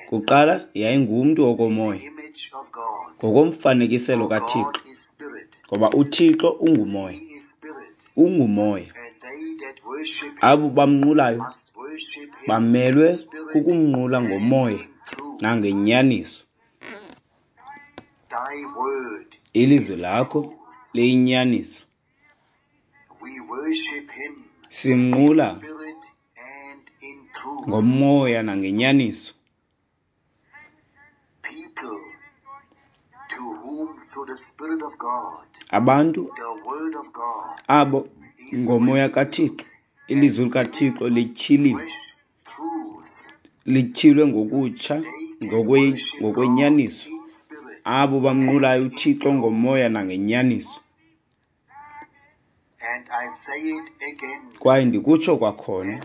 kuqala yayingumntu wokomoya, ngokomfanekiselo kaThixo, ngoba uThixo ungumoya, ungumoya. Abo bamnqulayo bamelwe kukumnqula ngomoya nangenyaniso. Ilizwi lakho liyinyaniso. Simnqula ngomoya nangenyaniso. Abantu abo ngomoya kaThixo, ilizwi likaThixo lityhiliwe, lityhilwe ngokutsha ngokwenyaniso. Abo bamnqulayo uThixo ngomoya nangenyaniso. Kwaye ndikutsho kwakhona,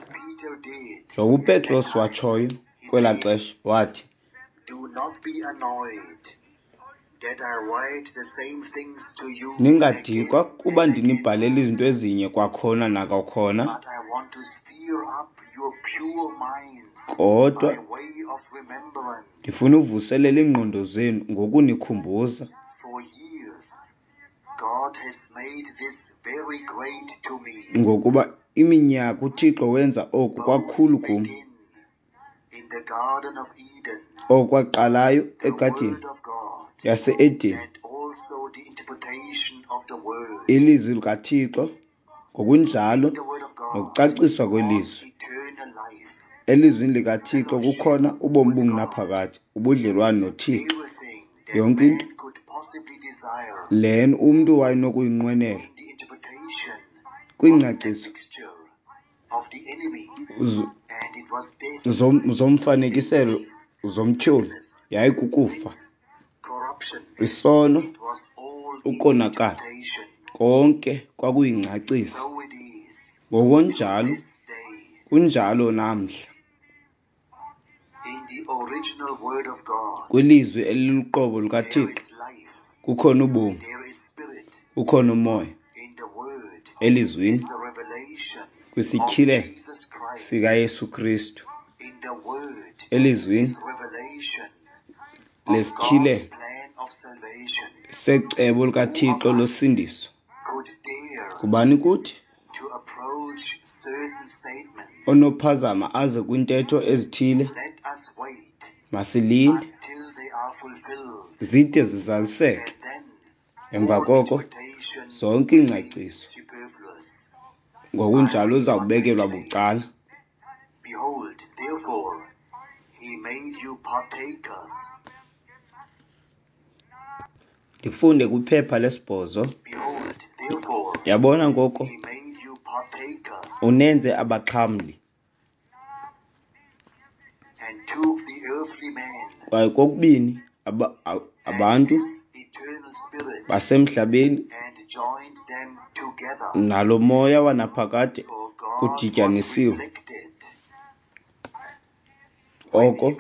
njengoba uPetros watshoyo kwelaa xesha, wathi, ningadikwa kuba ndinibhalela izinto ezinye kwakhona nakwakhona, kodwa ndifuna uvuselela iingqondo zenu ngokunikhumbuza. Ngokuba iminyaka uThixo wenza oku kwakhulu kum, okwaqalayo egadini yase-Edeni, ilizwi likaThixo ngokunjalo nokucaciswa kwelizwi. Elizwini likaThixo kukhona ubomi obungunaphakade, ubudlelwane noThixo. Yonke into le umntu wayenokuyinqwenela kwiingcaciso zomfanekiselo zomtyholi yayikukufa, isono, ukonakala, konke kwakuyingcaciso. Ngokunjalo kunjalo namhla. Kwilizwi eliluqobo lukaThixo kukhona ubomi, kukhona umoya. Elizwini, kwisityhilelo sikaYesu Kristu, elizwini lesityhilelo secebo likaThixo losindiso. Ngubani kuthi onophazama aze kwintetho ezithile? Masilinde Zide zizaliseke. Emva koko zonke iingcaciso ngokunjalo uzawubekelwa bucala. Ndifunde kwiphepha lesi-8. Yabona ngoko unenze abaxhamli. Kwaye kokubini abantu basemhlabeni nalo moya wanaphakade kudityanisiwe. Oko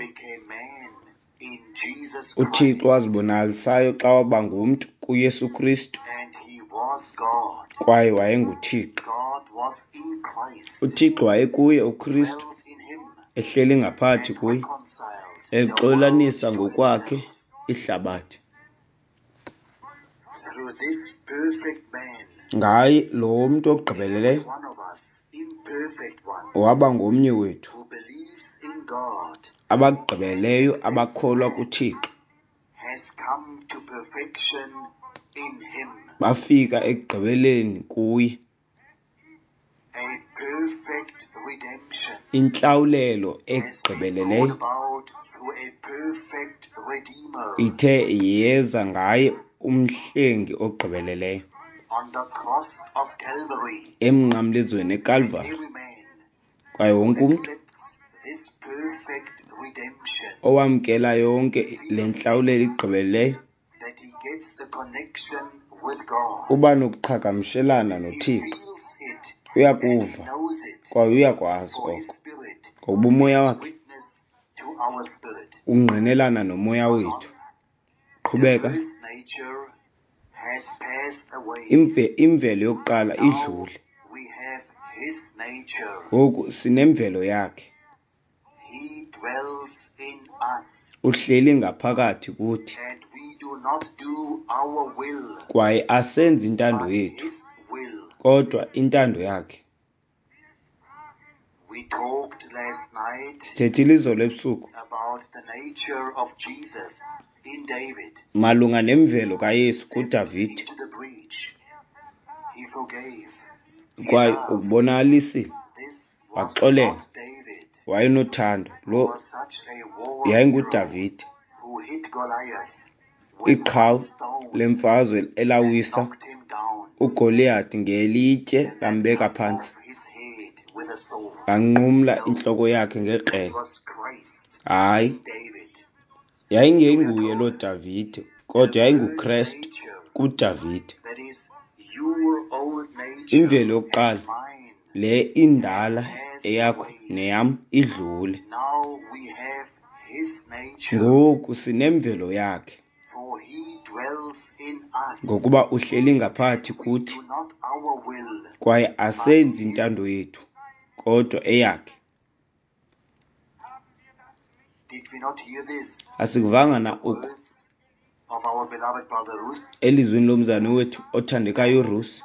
uThixo wazibonakalisayo xa waba ngumntu kuYesu Kristu, kwaye wayenguThixo. UThixo wayekuye uKristu, ehleli ngaphakathi kuye, exolanisa ngokwakhe ihlabathi. Ngaye lo mntu ogqibeleleyo waba ngomnye wethu abagqibeleyo abakholwa kuThixo bafika ekugqibeleni kuye. Intlawulelo egqibeleleyo ithe yeza ngaye umhlengi ogqibeleleyo emnqamlezweni eKalvari. Kwaye wonke umntu owamkela yonke le ntlawulelo igqibeleleyo uba nokuqhagamshelana noThixo. Uyakuva kwaye uyakwazi oko, ngokuba umoya wakhe ungqinelana nomoya wethu. Qhubeka. Imvelo yokuqala idlule. Ngoku sinemvelo yakhe. Uhleli ngaphakathi kuthi. Kwaye asenzi intando yethu, kodwa intando yakhe. Sithethile izolo ebusuku malunga nemvelo kaYesu kuDavide, kwaye ukubonakalisile, waxolela, wayenothando. Lo yayinguDavide, iqhawe lemfazwe elawisa uGoliyati ngelitye lambeka phantsi, lanqumla intloko yakhe ngekrele. Hayi, yayingenguye loo Davide, kodwa yayinguKrestu kuDavide. Imvelo yokuqala, le indala eyakho neyam, idlule. Ngoku sinemvelo yakhe, ngokuba uhleli ngaphakathi kuthi, kwaye asenzi intando yethu, kodwa eyakhe. Asikuvanga na oku elizwini lomzalwane wethu othandekayo uRusi,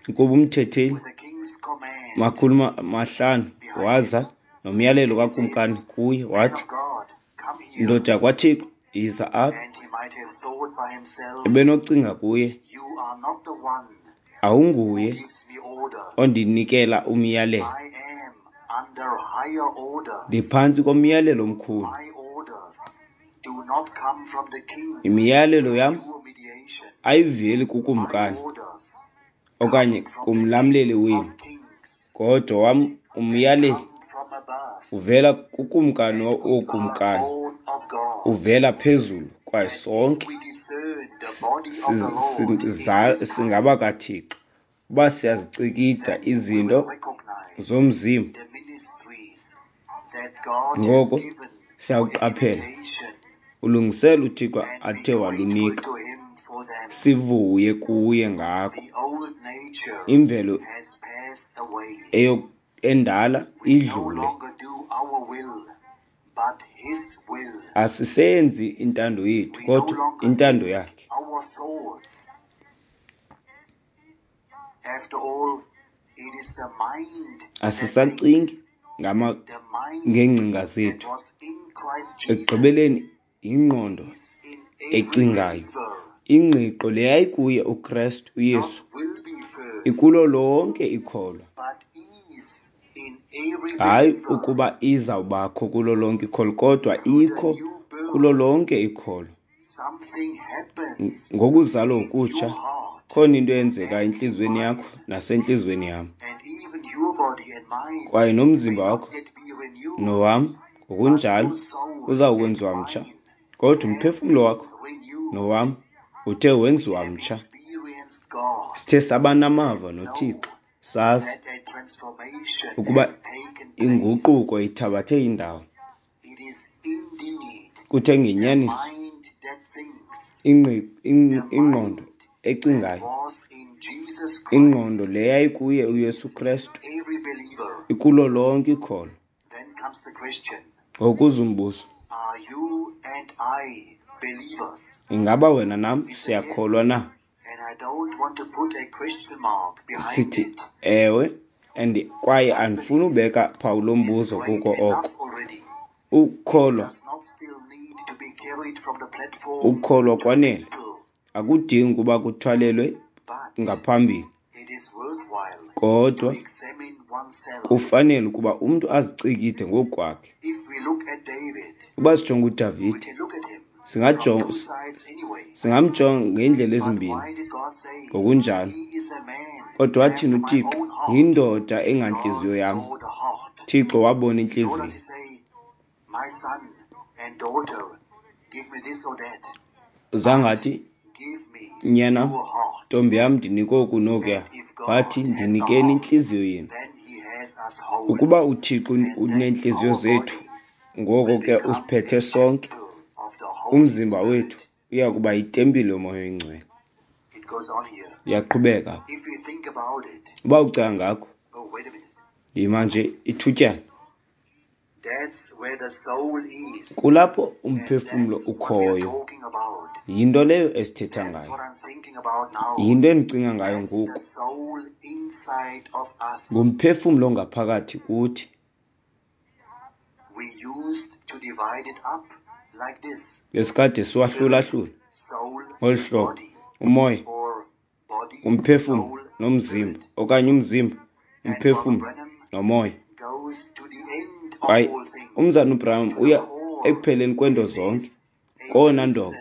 ukuba umthetheli 500 waza nomyalelo kakumkani kuye, wathi, ndoda yakwaThixo, yiza apha. Ebenocinga kuye, awunguye ondinikela umyalelo. Ndiphantsi komyalelo omkhulu. Imiyalelo yam ayiveli kukumkani okanye kumlamleli wenu, kodwa wam umyaleli uvela kukumkani wookumkani, uvela phezulu, kwaye sonke singabakaThixo. Uba siyazicikida izinto zomzimba, ngoko siyawuqaphela ulungiselo uThixo athe walunika, sivuye kuye ngako. Imvelo endala idlule. Asisenzi intando yethu, kodwa intando yakhe. Asisacingi ngeengcinga zethu. Ekugqibeleni yingqondo ecingayo. Ingqiqo le yayikuye uKrestu uYesu ikulo lonke ikholwa. Hayi ukuba izawubakho kulo lonke ikholwa, kodwa ikho kulo lonke ikholwa. Ngokuzalwa ngokutsha, khona into eyenzekayo entliziyweni yakho nasentliziyweni yam. Kwaye nomzimba wakho nowam ngokunjalo uzawukwenziwa mtsha, kodwa umphefumlo wakho nowam uthe wenziwa mtsha. Sithe saba namava noThixo, sazi ukuba inguquko ithabathe indawo. Kuthe ngenyaniso ingqondo ecingayo, ingqondo le yayikuye uYesu Krestu ikulo lonke ikholwa. Ngokuza umbuzo, ingaba wena nam siyakholwa na? Sithi ewe, and kwaye andifuni ubeka phawu lombuzo kuko oko. Ukukholwa kwanele, akudingi ukuba kuthwalelwe ngaphambili, kodwa kufanele ukuba umntu azicikide ngokukwakhe. Ukuba sijonga uDavide, singamjonga ngeendlela ezimbini ngokunjalo. Kodwa wathini uThixo? Yindoda engantliziyo yam. Thixo wabona intliziyo. Zangathi, nyana, ntombi yam, ndinike oku nokuya. Wathi, ndinikeni intliziyo yenu. Ukuba uThixo uneentliziyo zethu, ngoko ke usiphethe sonke. Umzimba wethu uya kuba yitempile yoMoya oyiNgcwele. Iyaqhubeka. Uba ucinga ngakho, yima nje ithutyana. Kulapho umphefumlo ukhoyo. Yinto leyo esithetha ngayo. Yinto endicinga ngayo ngoku. Ngumphefumlo ongaphakathi kuthi. Besikade siwahlulahlula ngolu hlobo, umoya, umphefumlo nomzimba, okanye umzimba, umphefumlo nomoya. Kwaye umzana uBranham uya ekupheleni kweento zonke, kowona ndoqo,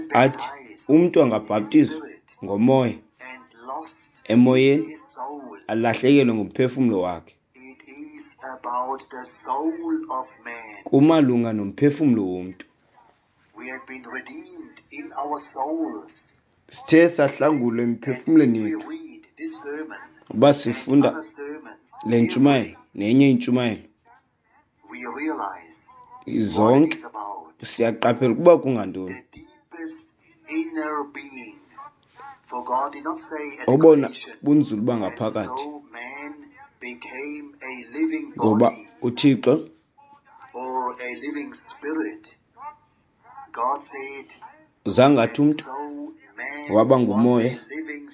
athi umntu angabhaptizwa ngomoya, emoyeni, alahlekelwe ngumphefumlo wakhe. Kumalunga nomphefumlo womntu. Sithe sahlangulwa emiphefumlweni yethu. Uba sifunda le ntshumayelo nenye intshumayelo, zonke siyaqaphela ukuba kungantoni. Obona bunzulu bangaphakathi, ngoba uThixo zangathi umntu waba ngumoya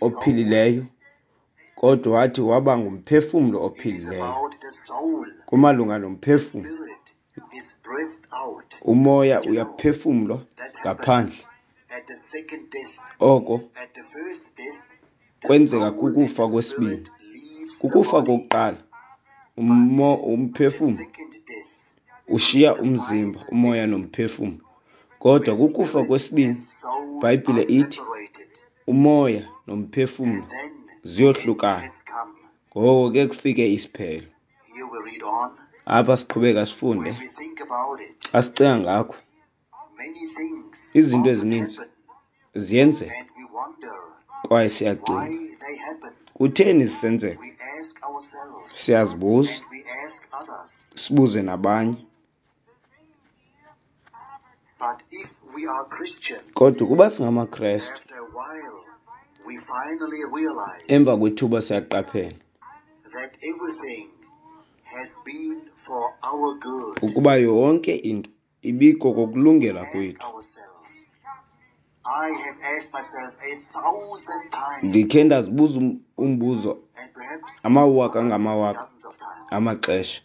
ophilileyo, kodwa wathi waba ngumphefumlo ophilileyo. Kumalunga nomphefumlo, umoya uyaphefumlwa ngaphandle. Oko kwenzeka kukufa kwesibini. Kukufa kokuqala, umphefumlo ushiya umzimba, umoya nomphefumlo. Kodwa kukufa kwesibini, iBhayibhile ithi umoya nomphefumlo ziyohlukana. Ngoko ke kufike isiphelo. Apha siqhubeka sifunde. Xa sicinga ngakho, izinto ezininzi ziyenzeka kwaye siyacinga, kutheni zisenzeka? Siyazibuza, sibuze nabanye. Kodwa ukuba singamaKrestu, emva kwethuba siyaqaphela ukuba yonke into ibiko kokulungela kwethu. Ndikhe ndazibuza umbuzo amawaka ngamawaka amaxesha.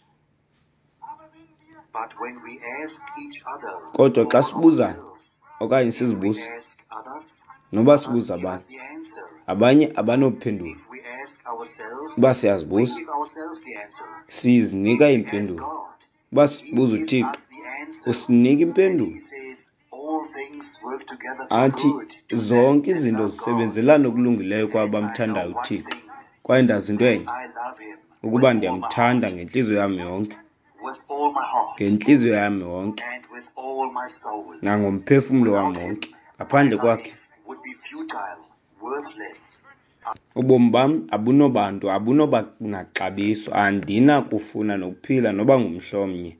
Kodwa xa sibuzana Okanye If we sizibuza, ask others, noba others sibuza give us abanye, the answer. abanye abanophendula. If we ask ourselves, Uba we siyazibuza, give ourselves the answer. sizinika If we ask iimpendulo. God, Uba He sibuza gives uThixo, us the answer. usinika And He impendulo. says, all things work together for Athi good to them zonke that izinto love God. zisebenzelana okulungileyo kwabo And I know bamthandayo one uThixo. thing, Kwaye ndazi into that enye, I love Him with ukuba all my ndiyamthanda heart, ngentliziyo yam yonke, with all my heart, ngentliziyo yam yonke, and with all my soul. nangomphefumlo wam Without Him, wonke. my Ngaphandle kwakhe, life would be futile, worthless. ubomi bam abunobantu, abunoba naxabiso. Andinakufuna nokuphila noba ngumhla omnye.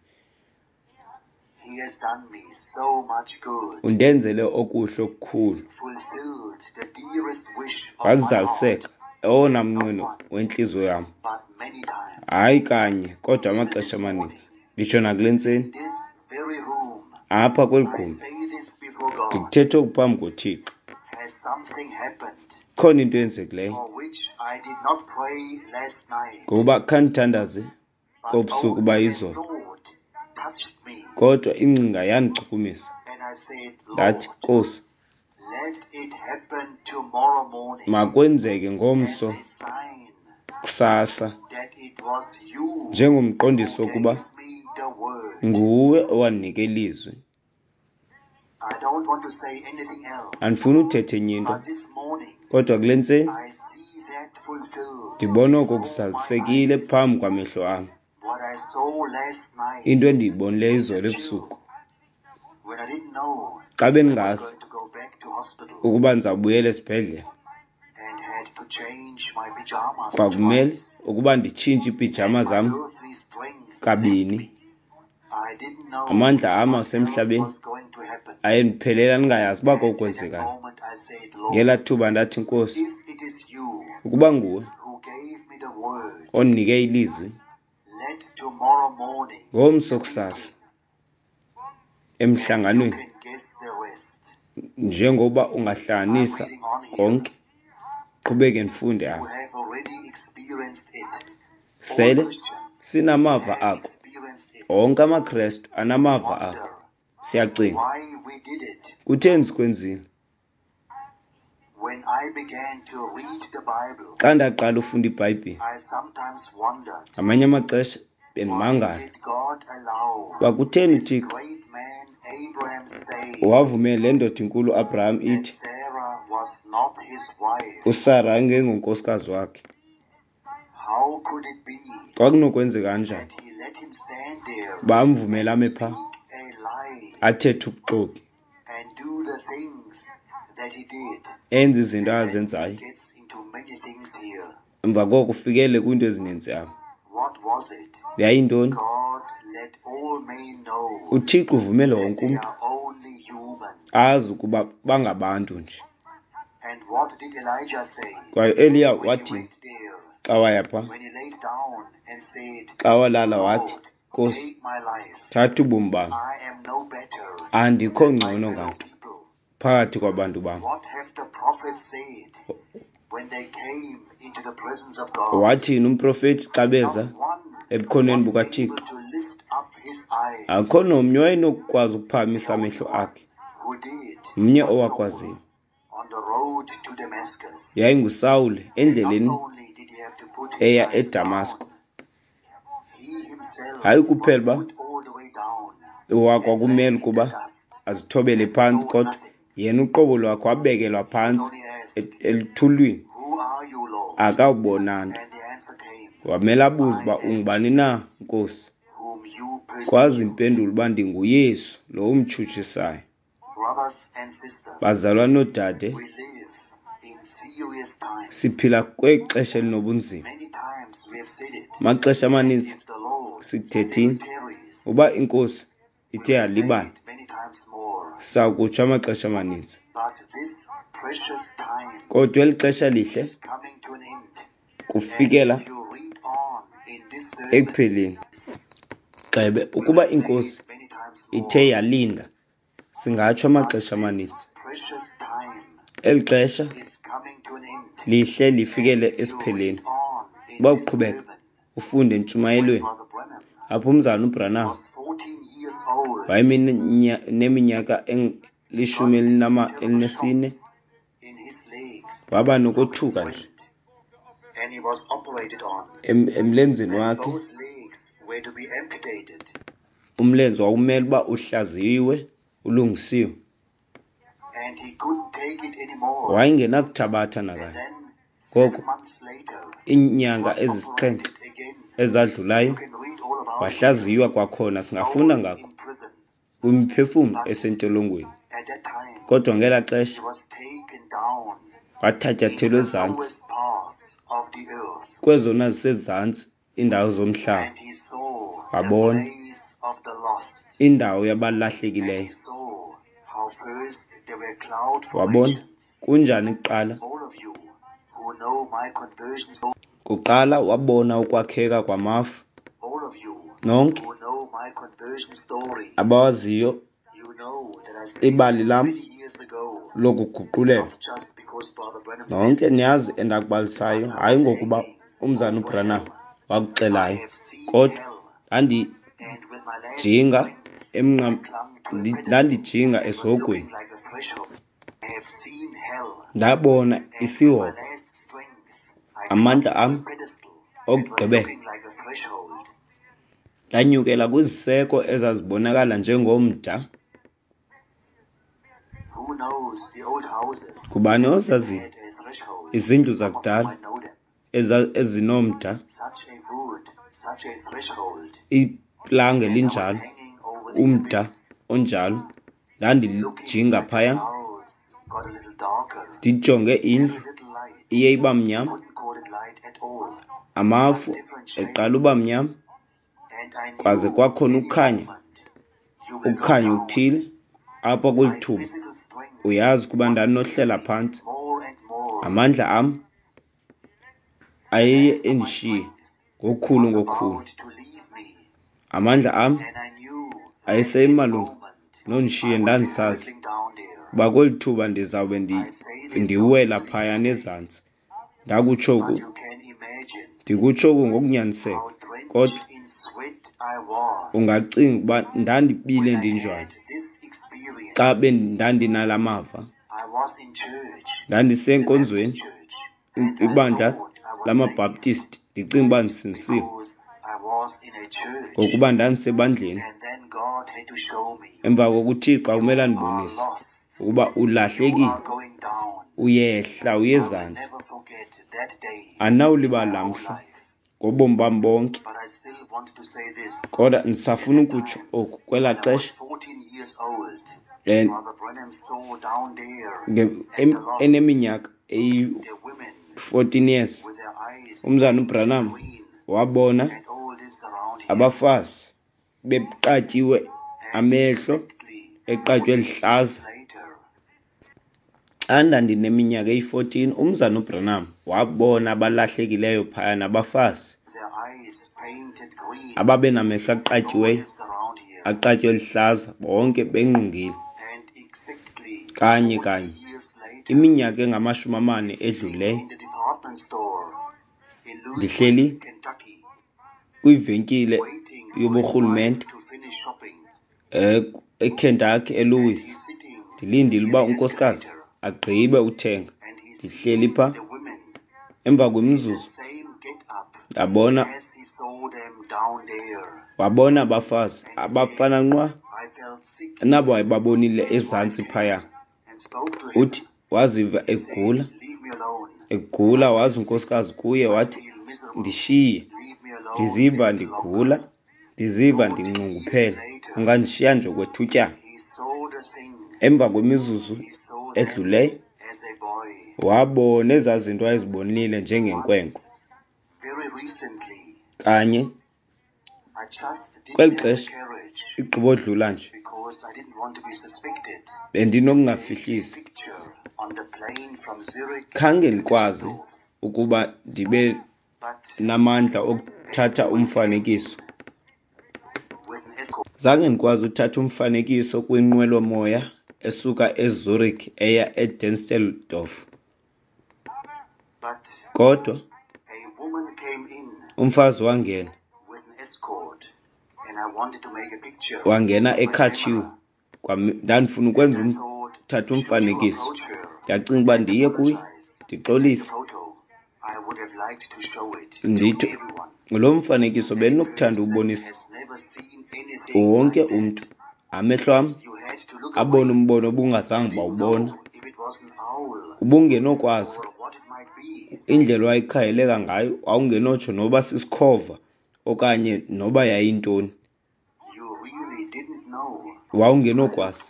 He has done me so much good, Undenzele okuhle okukhulu, fulfilled the dearest wish of my heart, wazaliseka owona not mnqweno once, wentliziyo yam. but many times. Hayi kanye, kodwa Even amaxesha this amaninzi. morning, Nditsho nakule in ntseni, this very room, apha kweli I gumbi, say this before God. ndikuthetha oku phambi koThixo. Has something happened Khona into eyenzekileyo, for which I did not pray last night, ngokuba khandithandaze but kobusuku only a bayizolo, thought touched me, kodwa ingcinga yandichukumisa. and I said, Ndathi, Lord, Nkosi, let it happen tomorrow morning makwenzeke as ngomso a sign kusasa, that it was you who njengomqondiso wokuba gave me the word. nguwe owandinika ilizwi. I don't want to say anything else, Andifuni uthetha enye into, but this morning kodwa kule ntseni I see that fulfilled ndibona oko before my kuzalisekile eyes. phambi kwamehlo am. What I saw last night Into endiyibonileyo in izolo the ebusuku, chill, when I didn't know xa I was bendingazi going to go back to hospital ukuba ndizawubuyela esibhedlele, and had to change my pajamas kwakumele twice, ukuba nditshintshe iipijama and my zam earthly strength left kabini. me. I didn't know Amandla am what else asemhlabeni was going to happen. ayendiphelela ndingayazi uba And at that kokwenzekani. moment I said, Lord, Ngelaa thuba ndathi, Nkosi, if it is you ukuba nguwe who gave me the word, ondinike ilizwi, let tomorrow morning be ngomso a kusasa meeting, and you emhlanganweni, can guess the rest. njengoba I'm ungahlanganisa reading on here. konke, qhubeke ndifunde You apha. have already experienced it. All Sele Christians sinamava have ako. experienced it. Onke amaKrestu anamava ako. Wonder Siyacinga, why we did it. kutheni sikwenzile? When I began to read the Bible, Xa ndaqala ufunda iBhayibhile, I sometimes wondered, ngamanye amaxesha why bendimangala did God allow uba kutheni this uThixo great man Abraham say wavumela le ndoda inkulu uAbraham that ithi Sarah was not his wife? uSara engengonkosikazi wakhe? How could it be Kwakunokwenzeka kanjani that he let him stand there uba amvumele ame and phaa speak a lie athethe ubuxoki, and do the things that he did? enze izinto And then he azenzayo, gets into many things here. emva koko ufikele kwiinto ezininzi apha? What was it? Yayintoni? God let all men know uThixo uvumele that wonke they umntu are only human. azi ukuba bangabantu nje. And what did Elijah say Kwaye uEliya when he wathini went there? xa waya phaa? When he laid down and said, Xa walala wathi, Lord, Nkosi, take my life. thatha ubomi bam, I am no better andikho than my ngcono fellow nganto people. phakathi kwabantu bam. What have the prophets said when they came into the presence of God? Wathini umprofethi xa beza Not one ebukhoneni was able bukaThixo? to lift up his eyes. Akukho nomnye owayenokukwazi The ukuphakamisa only amehlo one akhe, who did mnye was Saul owakwaziyo. on the road to Damascus. YayinguSawule And not endleleni only did he have to put his eya eyes eDamasko. down, he himself Hayi was kuphela uba put all the way down and kwakumele left in the ukuba dust azithobele and phantsi, saw kodwa nothing. yena uqobo lwakhe wabekelwa He phantsi only asked, eluthulwini, Who are you, Lord? akawubona nto. And the answer came, Wamele abuze I uba am ungubani na, Nkosi. whom you Kwazi persecute. impendulo uba ndinguYesu lo umtshutshisayo. Brothers and sisters, Bazalwane noodade, we live in serious times. siphila kwexesha elinobunzima. Many times we have said it. Amaxesha And amaninzi if the Lord still sikuthethile tarries, uba iNkosi we ithe will say yalibala, it many times more. sawukutsho amaxesha amaninzi. But this precious time Kodwa eli xesha lihle is coming to an end. And kufikela if you read on in this sermon, ekupheleni. Gxebe we ukuba will say iNkosi it many times ithe more. yalinda, singatsho But amaxesha this amaninzi. precious time Eli xesha is coming to an end. lihle And lifikele if you read esipheleni. on in Uba this uqhubeka sermon, ufunde when entshumayelweni, Brother Branham apho umzalwana uBranham was 14 years old, wayemineminyaka 14, waba nokothuka nje emlenzeni wakhe. Umlenze wawumele uba uhlaziyiwe, ulungisiwe. Wayengenakuthabatha nakanye. Ngoko iinyanga ezi-7 ezadlulayo wahlaziywa kwakhona. Singafunda ngako kwimiphefumlo esentolongweni. Kodwa ngelaa xesha wathatyathelwa ezantsi kwezona zisezantsi iindawo zomhlaba, wabona indawo yabalahlekileyo. Wabona kunjani kuqala. Kuqala wabona ukwakheka kwamafu. Nonke abawaziyo ibali lam lokuguqulelwa, nonke niyazi endakubalisayo, hayi ngokuba umzana uBranham wakuxelayo, kodwa ndandijinga esihogweni, ndabona isihogo. Amandla am okugqibela ndanyukela kwiziseko ezazibonakala njengomda. Ngubani ozaziyo izindlu zakudala ezinomda, iplanga elinjalo, umda onjalo? Ndandijinga phaya, ndijonge indlu iye iba mnyama, amafu eqala uba mnyama, kwaze kwakhona ukukhanya, ukukhanya okuthile apha kweli thuba. Uyazi ukuba ndandinohlela phantsi. Amandla am ayeye endishiye ngokukhulu ngokukhulu. Amandla am ayesemalunga nondishiye. Ndandisazi uba kweli thuba ndizawube ndiwela phayana ezantsi. Ndakutsho oku, ndikutsho oku ngokunyaniseka, kodwa ungacinga ukuba ndandibile ndinjani xa ndandinala mava. Ndandisenkonzweni, ibandla lamaBhaptisti, ndicinga uba ndisindisiwe ngokuba ndandisebandleni. Emva koko uThixo akumele andibonise ukuba ulahlekile, uyehla uye ezantsi. Andinawulibala laa mhla ngobomi bam bonke. Kodwa ndisafuna ukutsho oku, kwelaa xesha eneminyaka eyi-14 years, umzana uBranham wabona abafazi beqatyiwe amehlo, eqatywe lihlaza. Xa ndandineminyaka eyi-14, umzana uBranham wabona abalahlekileyo phaya nabafazi ababenamehlo aqatyiweyo, aqatywe lihlaza, bonke bengqungile. Kanye kanye iminyaka engama-40 edlulileyo, ndihleli kwivenkile yoburhulumente eKentucky, eLouis, ndilindile uba unkosikazi agqibe uthenga. Ndihleli pha, emva kwemizuzu ndabona, wabona abafazi abafana nqwa nabo wayebabonile ezantsi phaya. Uthi waziva egula, egula, waza unkosikazi kuye wathi, ndishiye, ndiziva ndigula, ndiziva ndinxunguphele, ungandishiya nje okwethutyana. Emva kwemizuzu edluleyo, wabona ezaa zinto wayezibonile njengenkwenkwe. Kanye kweli xesha igqibodlula nje, bendinokungafihlisi, khange ndikwazi ukuba ndibe namandla okuthatha umfanekiso. Zange ndikwazi uthatha umfanekiso kwinqwelomoya esuka eZurich eya eDüsseldorf. Kodwa umfazi wangena, wangena ekhatshiwe. Ndandifuna ukwenza thatha umfanekiso. Ndacinga uba ndiye kuye ndixolise, ndithi lo mfanekiso bendinokuthanda uwubonisa wonke umntu. Amehlo am abona umbono obungazange bawubona, ubungenokwazi indlela owayekhangeleka ngayo, wawungenotsho noba sisikhova okanye noba yayintoni, wawungenokwazi.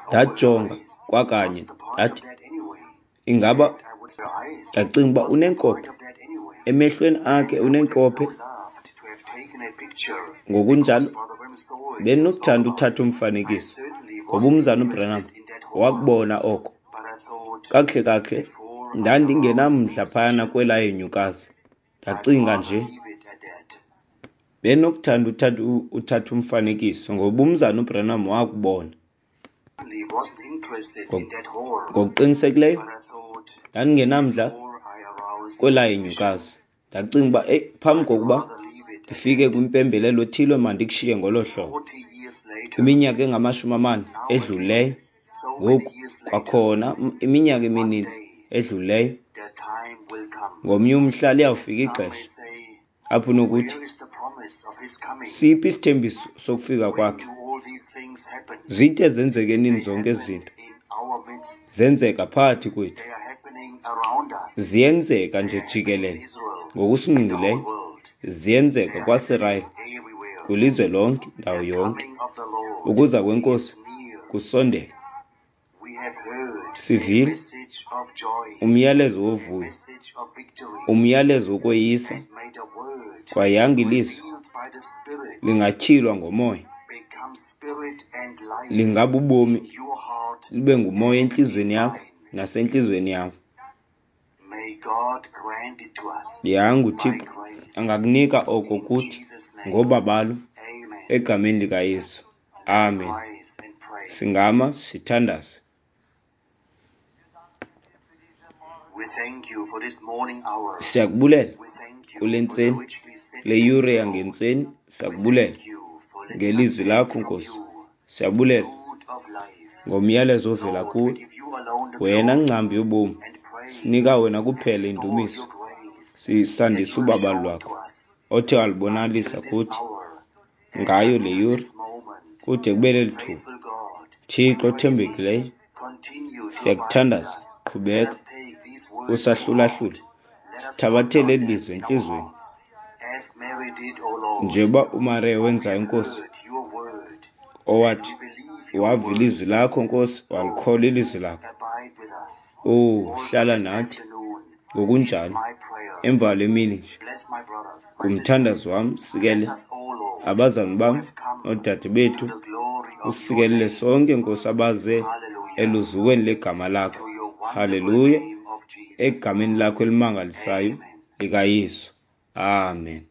Ndajonga kwakanye ndathi, ingaba, ndacinga uba unenkophe emehlweni akhe, unenkophe. Ngokunjalo bendinokuthanda uthatha umfanekiso, ngoba uMzana uBranham wakubona oko. Kakuhle kakuhle ndandingenamdla phayana kwelaa henyukazi. Ndacinga nje bendinokuthanda uthatha umfanekiso, ngoba uMzana uBranham wakubona. Ngokuqinisekileyo ndandingenamdla kwelaa henyukazi. Ndacinga uba, eyi, phambi kokuba ndifike kwimpembelelo ethile, mandikushiye ngolo hlobo. Iminyaka engama-40 edlulileyo ngoku, kwakhona iminyaka emininzi edlulileyo, ngomnye umhla liyawufika ixesha apho unokuthi, siphi isithembiso sokufika kwakhe? Zide zenzeke nini zonke ezi zinto? Zenzeka phakathi kwethu, ziyenzeka nje jikelele ngokusingqongileyo, ziyenzeka kwaSirayeli, kwilizwe lonke, ndawo yonke. Ukuza kweNkosi kusondele. Sivile umyalezo wovuyo, umyalezo wokweyisa, kwaye yanga ilizwi lingatyhilwa ngomoya, lingabubomi, libe ngumoya entliziyweni yakho nasentliziyweni yam. Yanga uThixo angakunika oko kuthi ngobabalo egameni likaYesu. Amen. Singama sithandaze. Siyakubulela kule ntseni, kule yure yangentseni, siyakubulela ngelizwi lakho Nkosi. Siyabulela ngomyalezo ovela kuwe, wena ngcambu yobomi. Sinika wena kuphela indumiso, sisandisa ubabalo lwakho othe walubonalisa kuthi ngayo le yure kude kube leli thuba. Thixo othembekileyo, siyakuthandaza, qhubeka usahlulahlula, sithabathele eli lizwi entliziyweni njengoba uMariya wenzayo, Nkosi, owathi wava ilizwi lakho, Nkosi, walikholwa ilizwi lakho. Oh, hlala nathi ngokunjalo emva le mini nje. Kumthandazo wam, sikele abazalwane bam noodade bethu, usikelele sonke, Nkosi, abaze eluzukweni legama lakho. Haleluya, egameni lakho elimangalisayo likaYesu. Amen.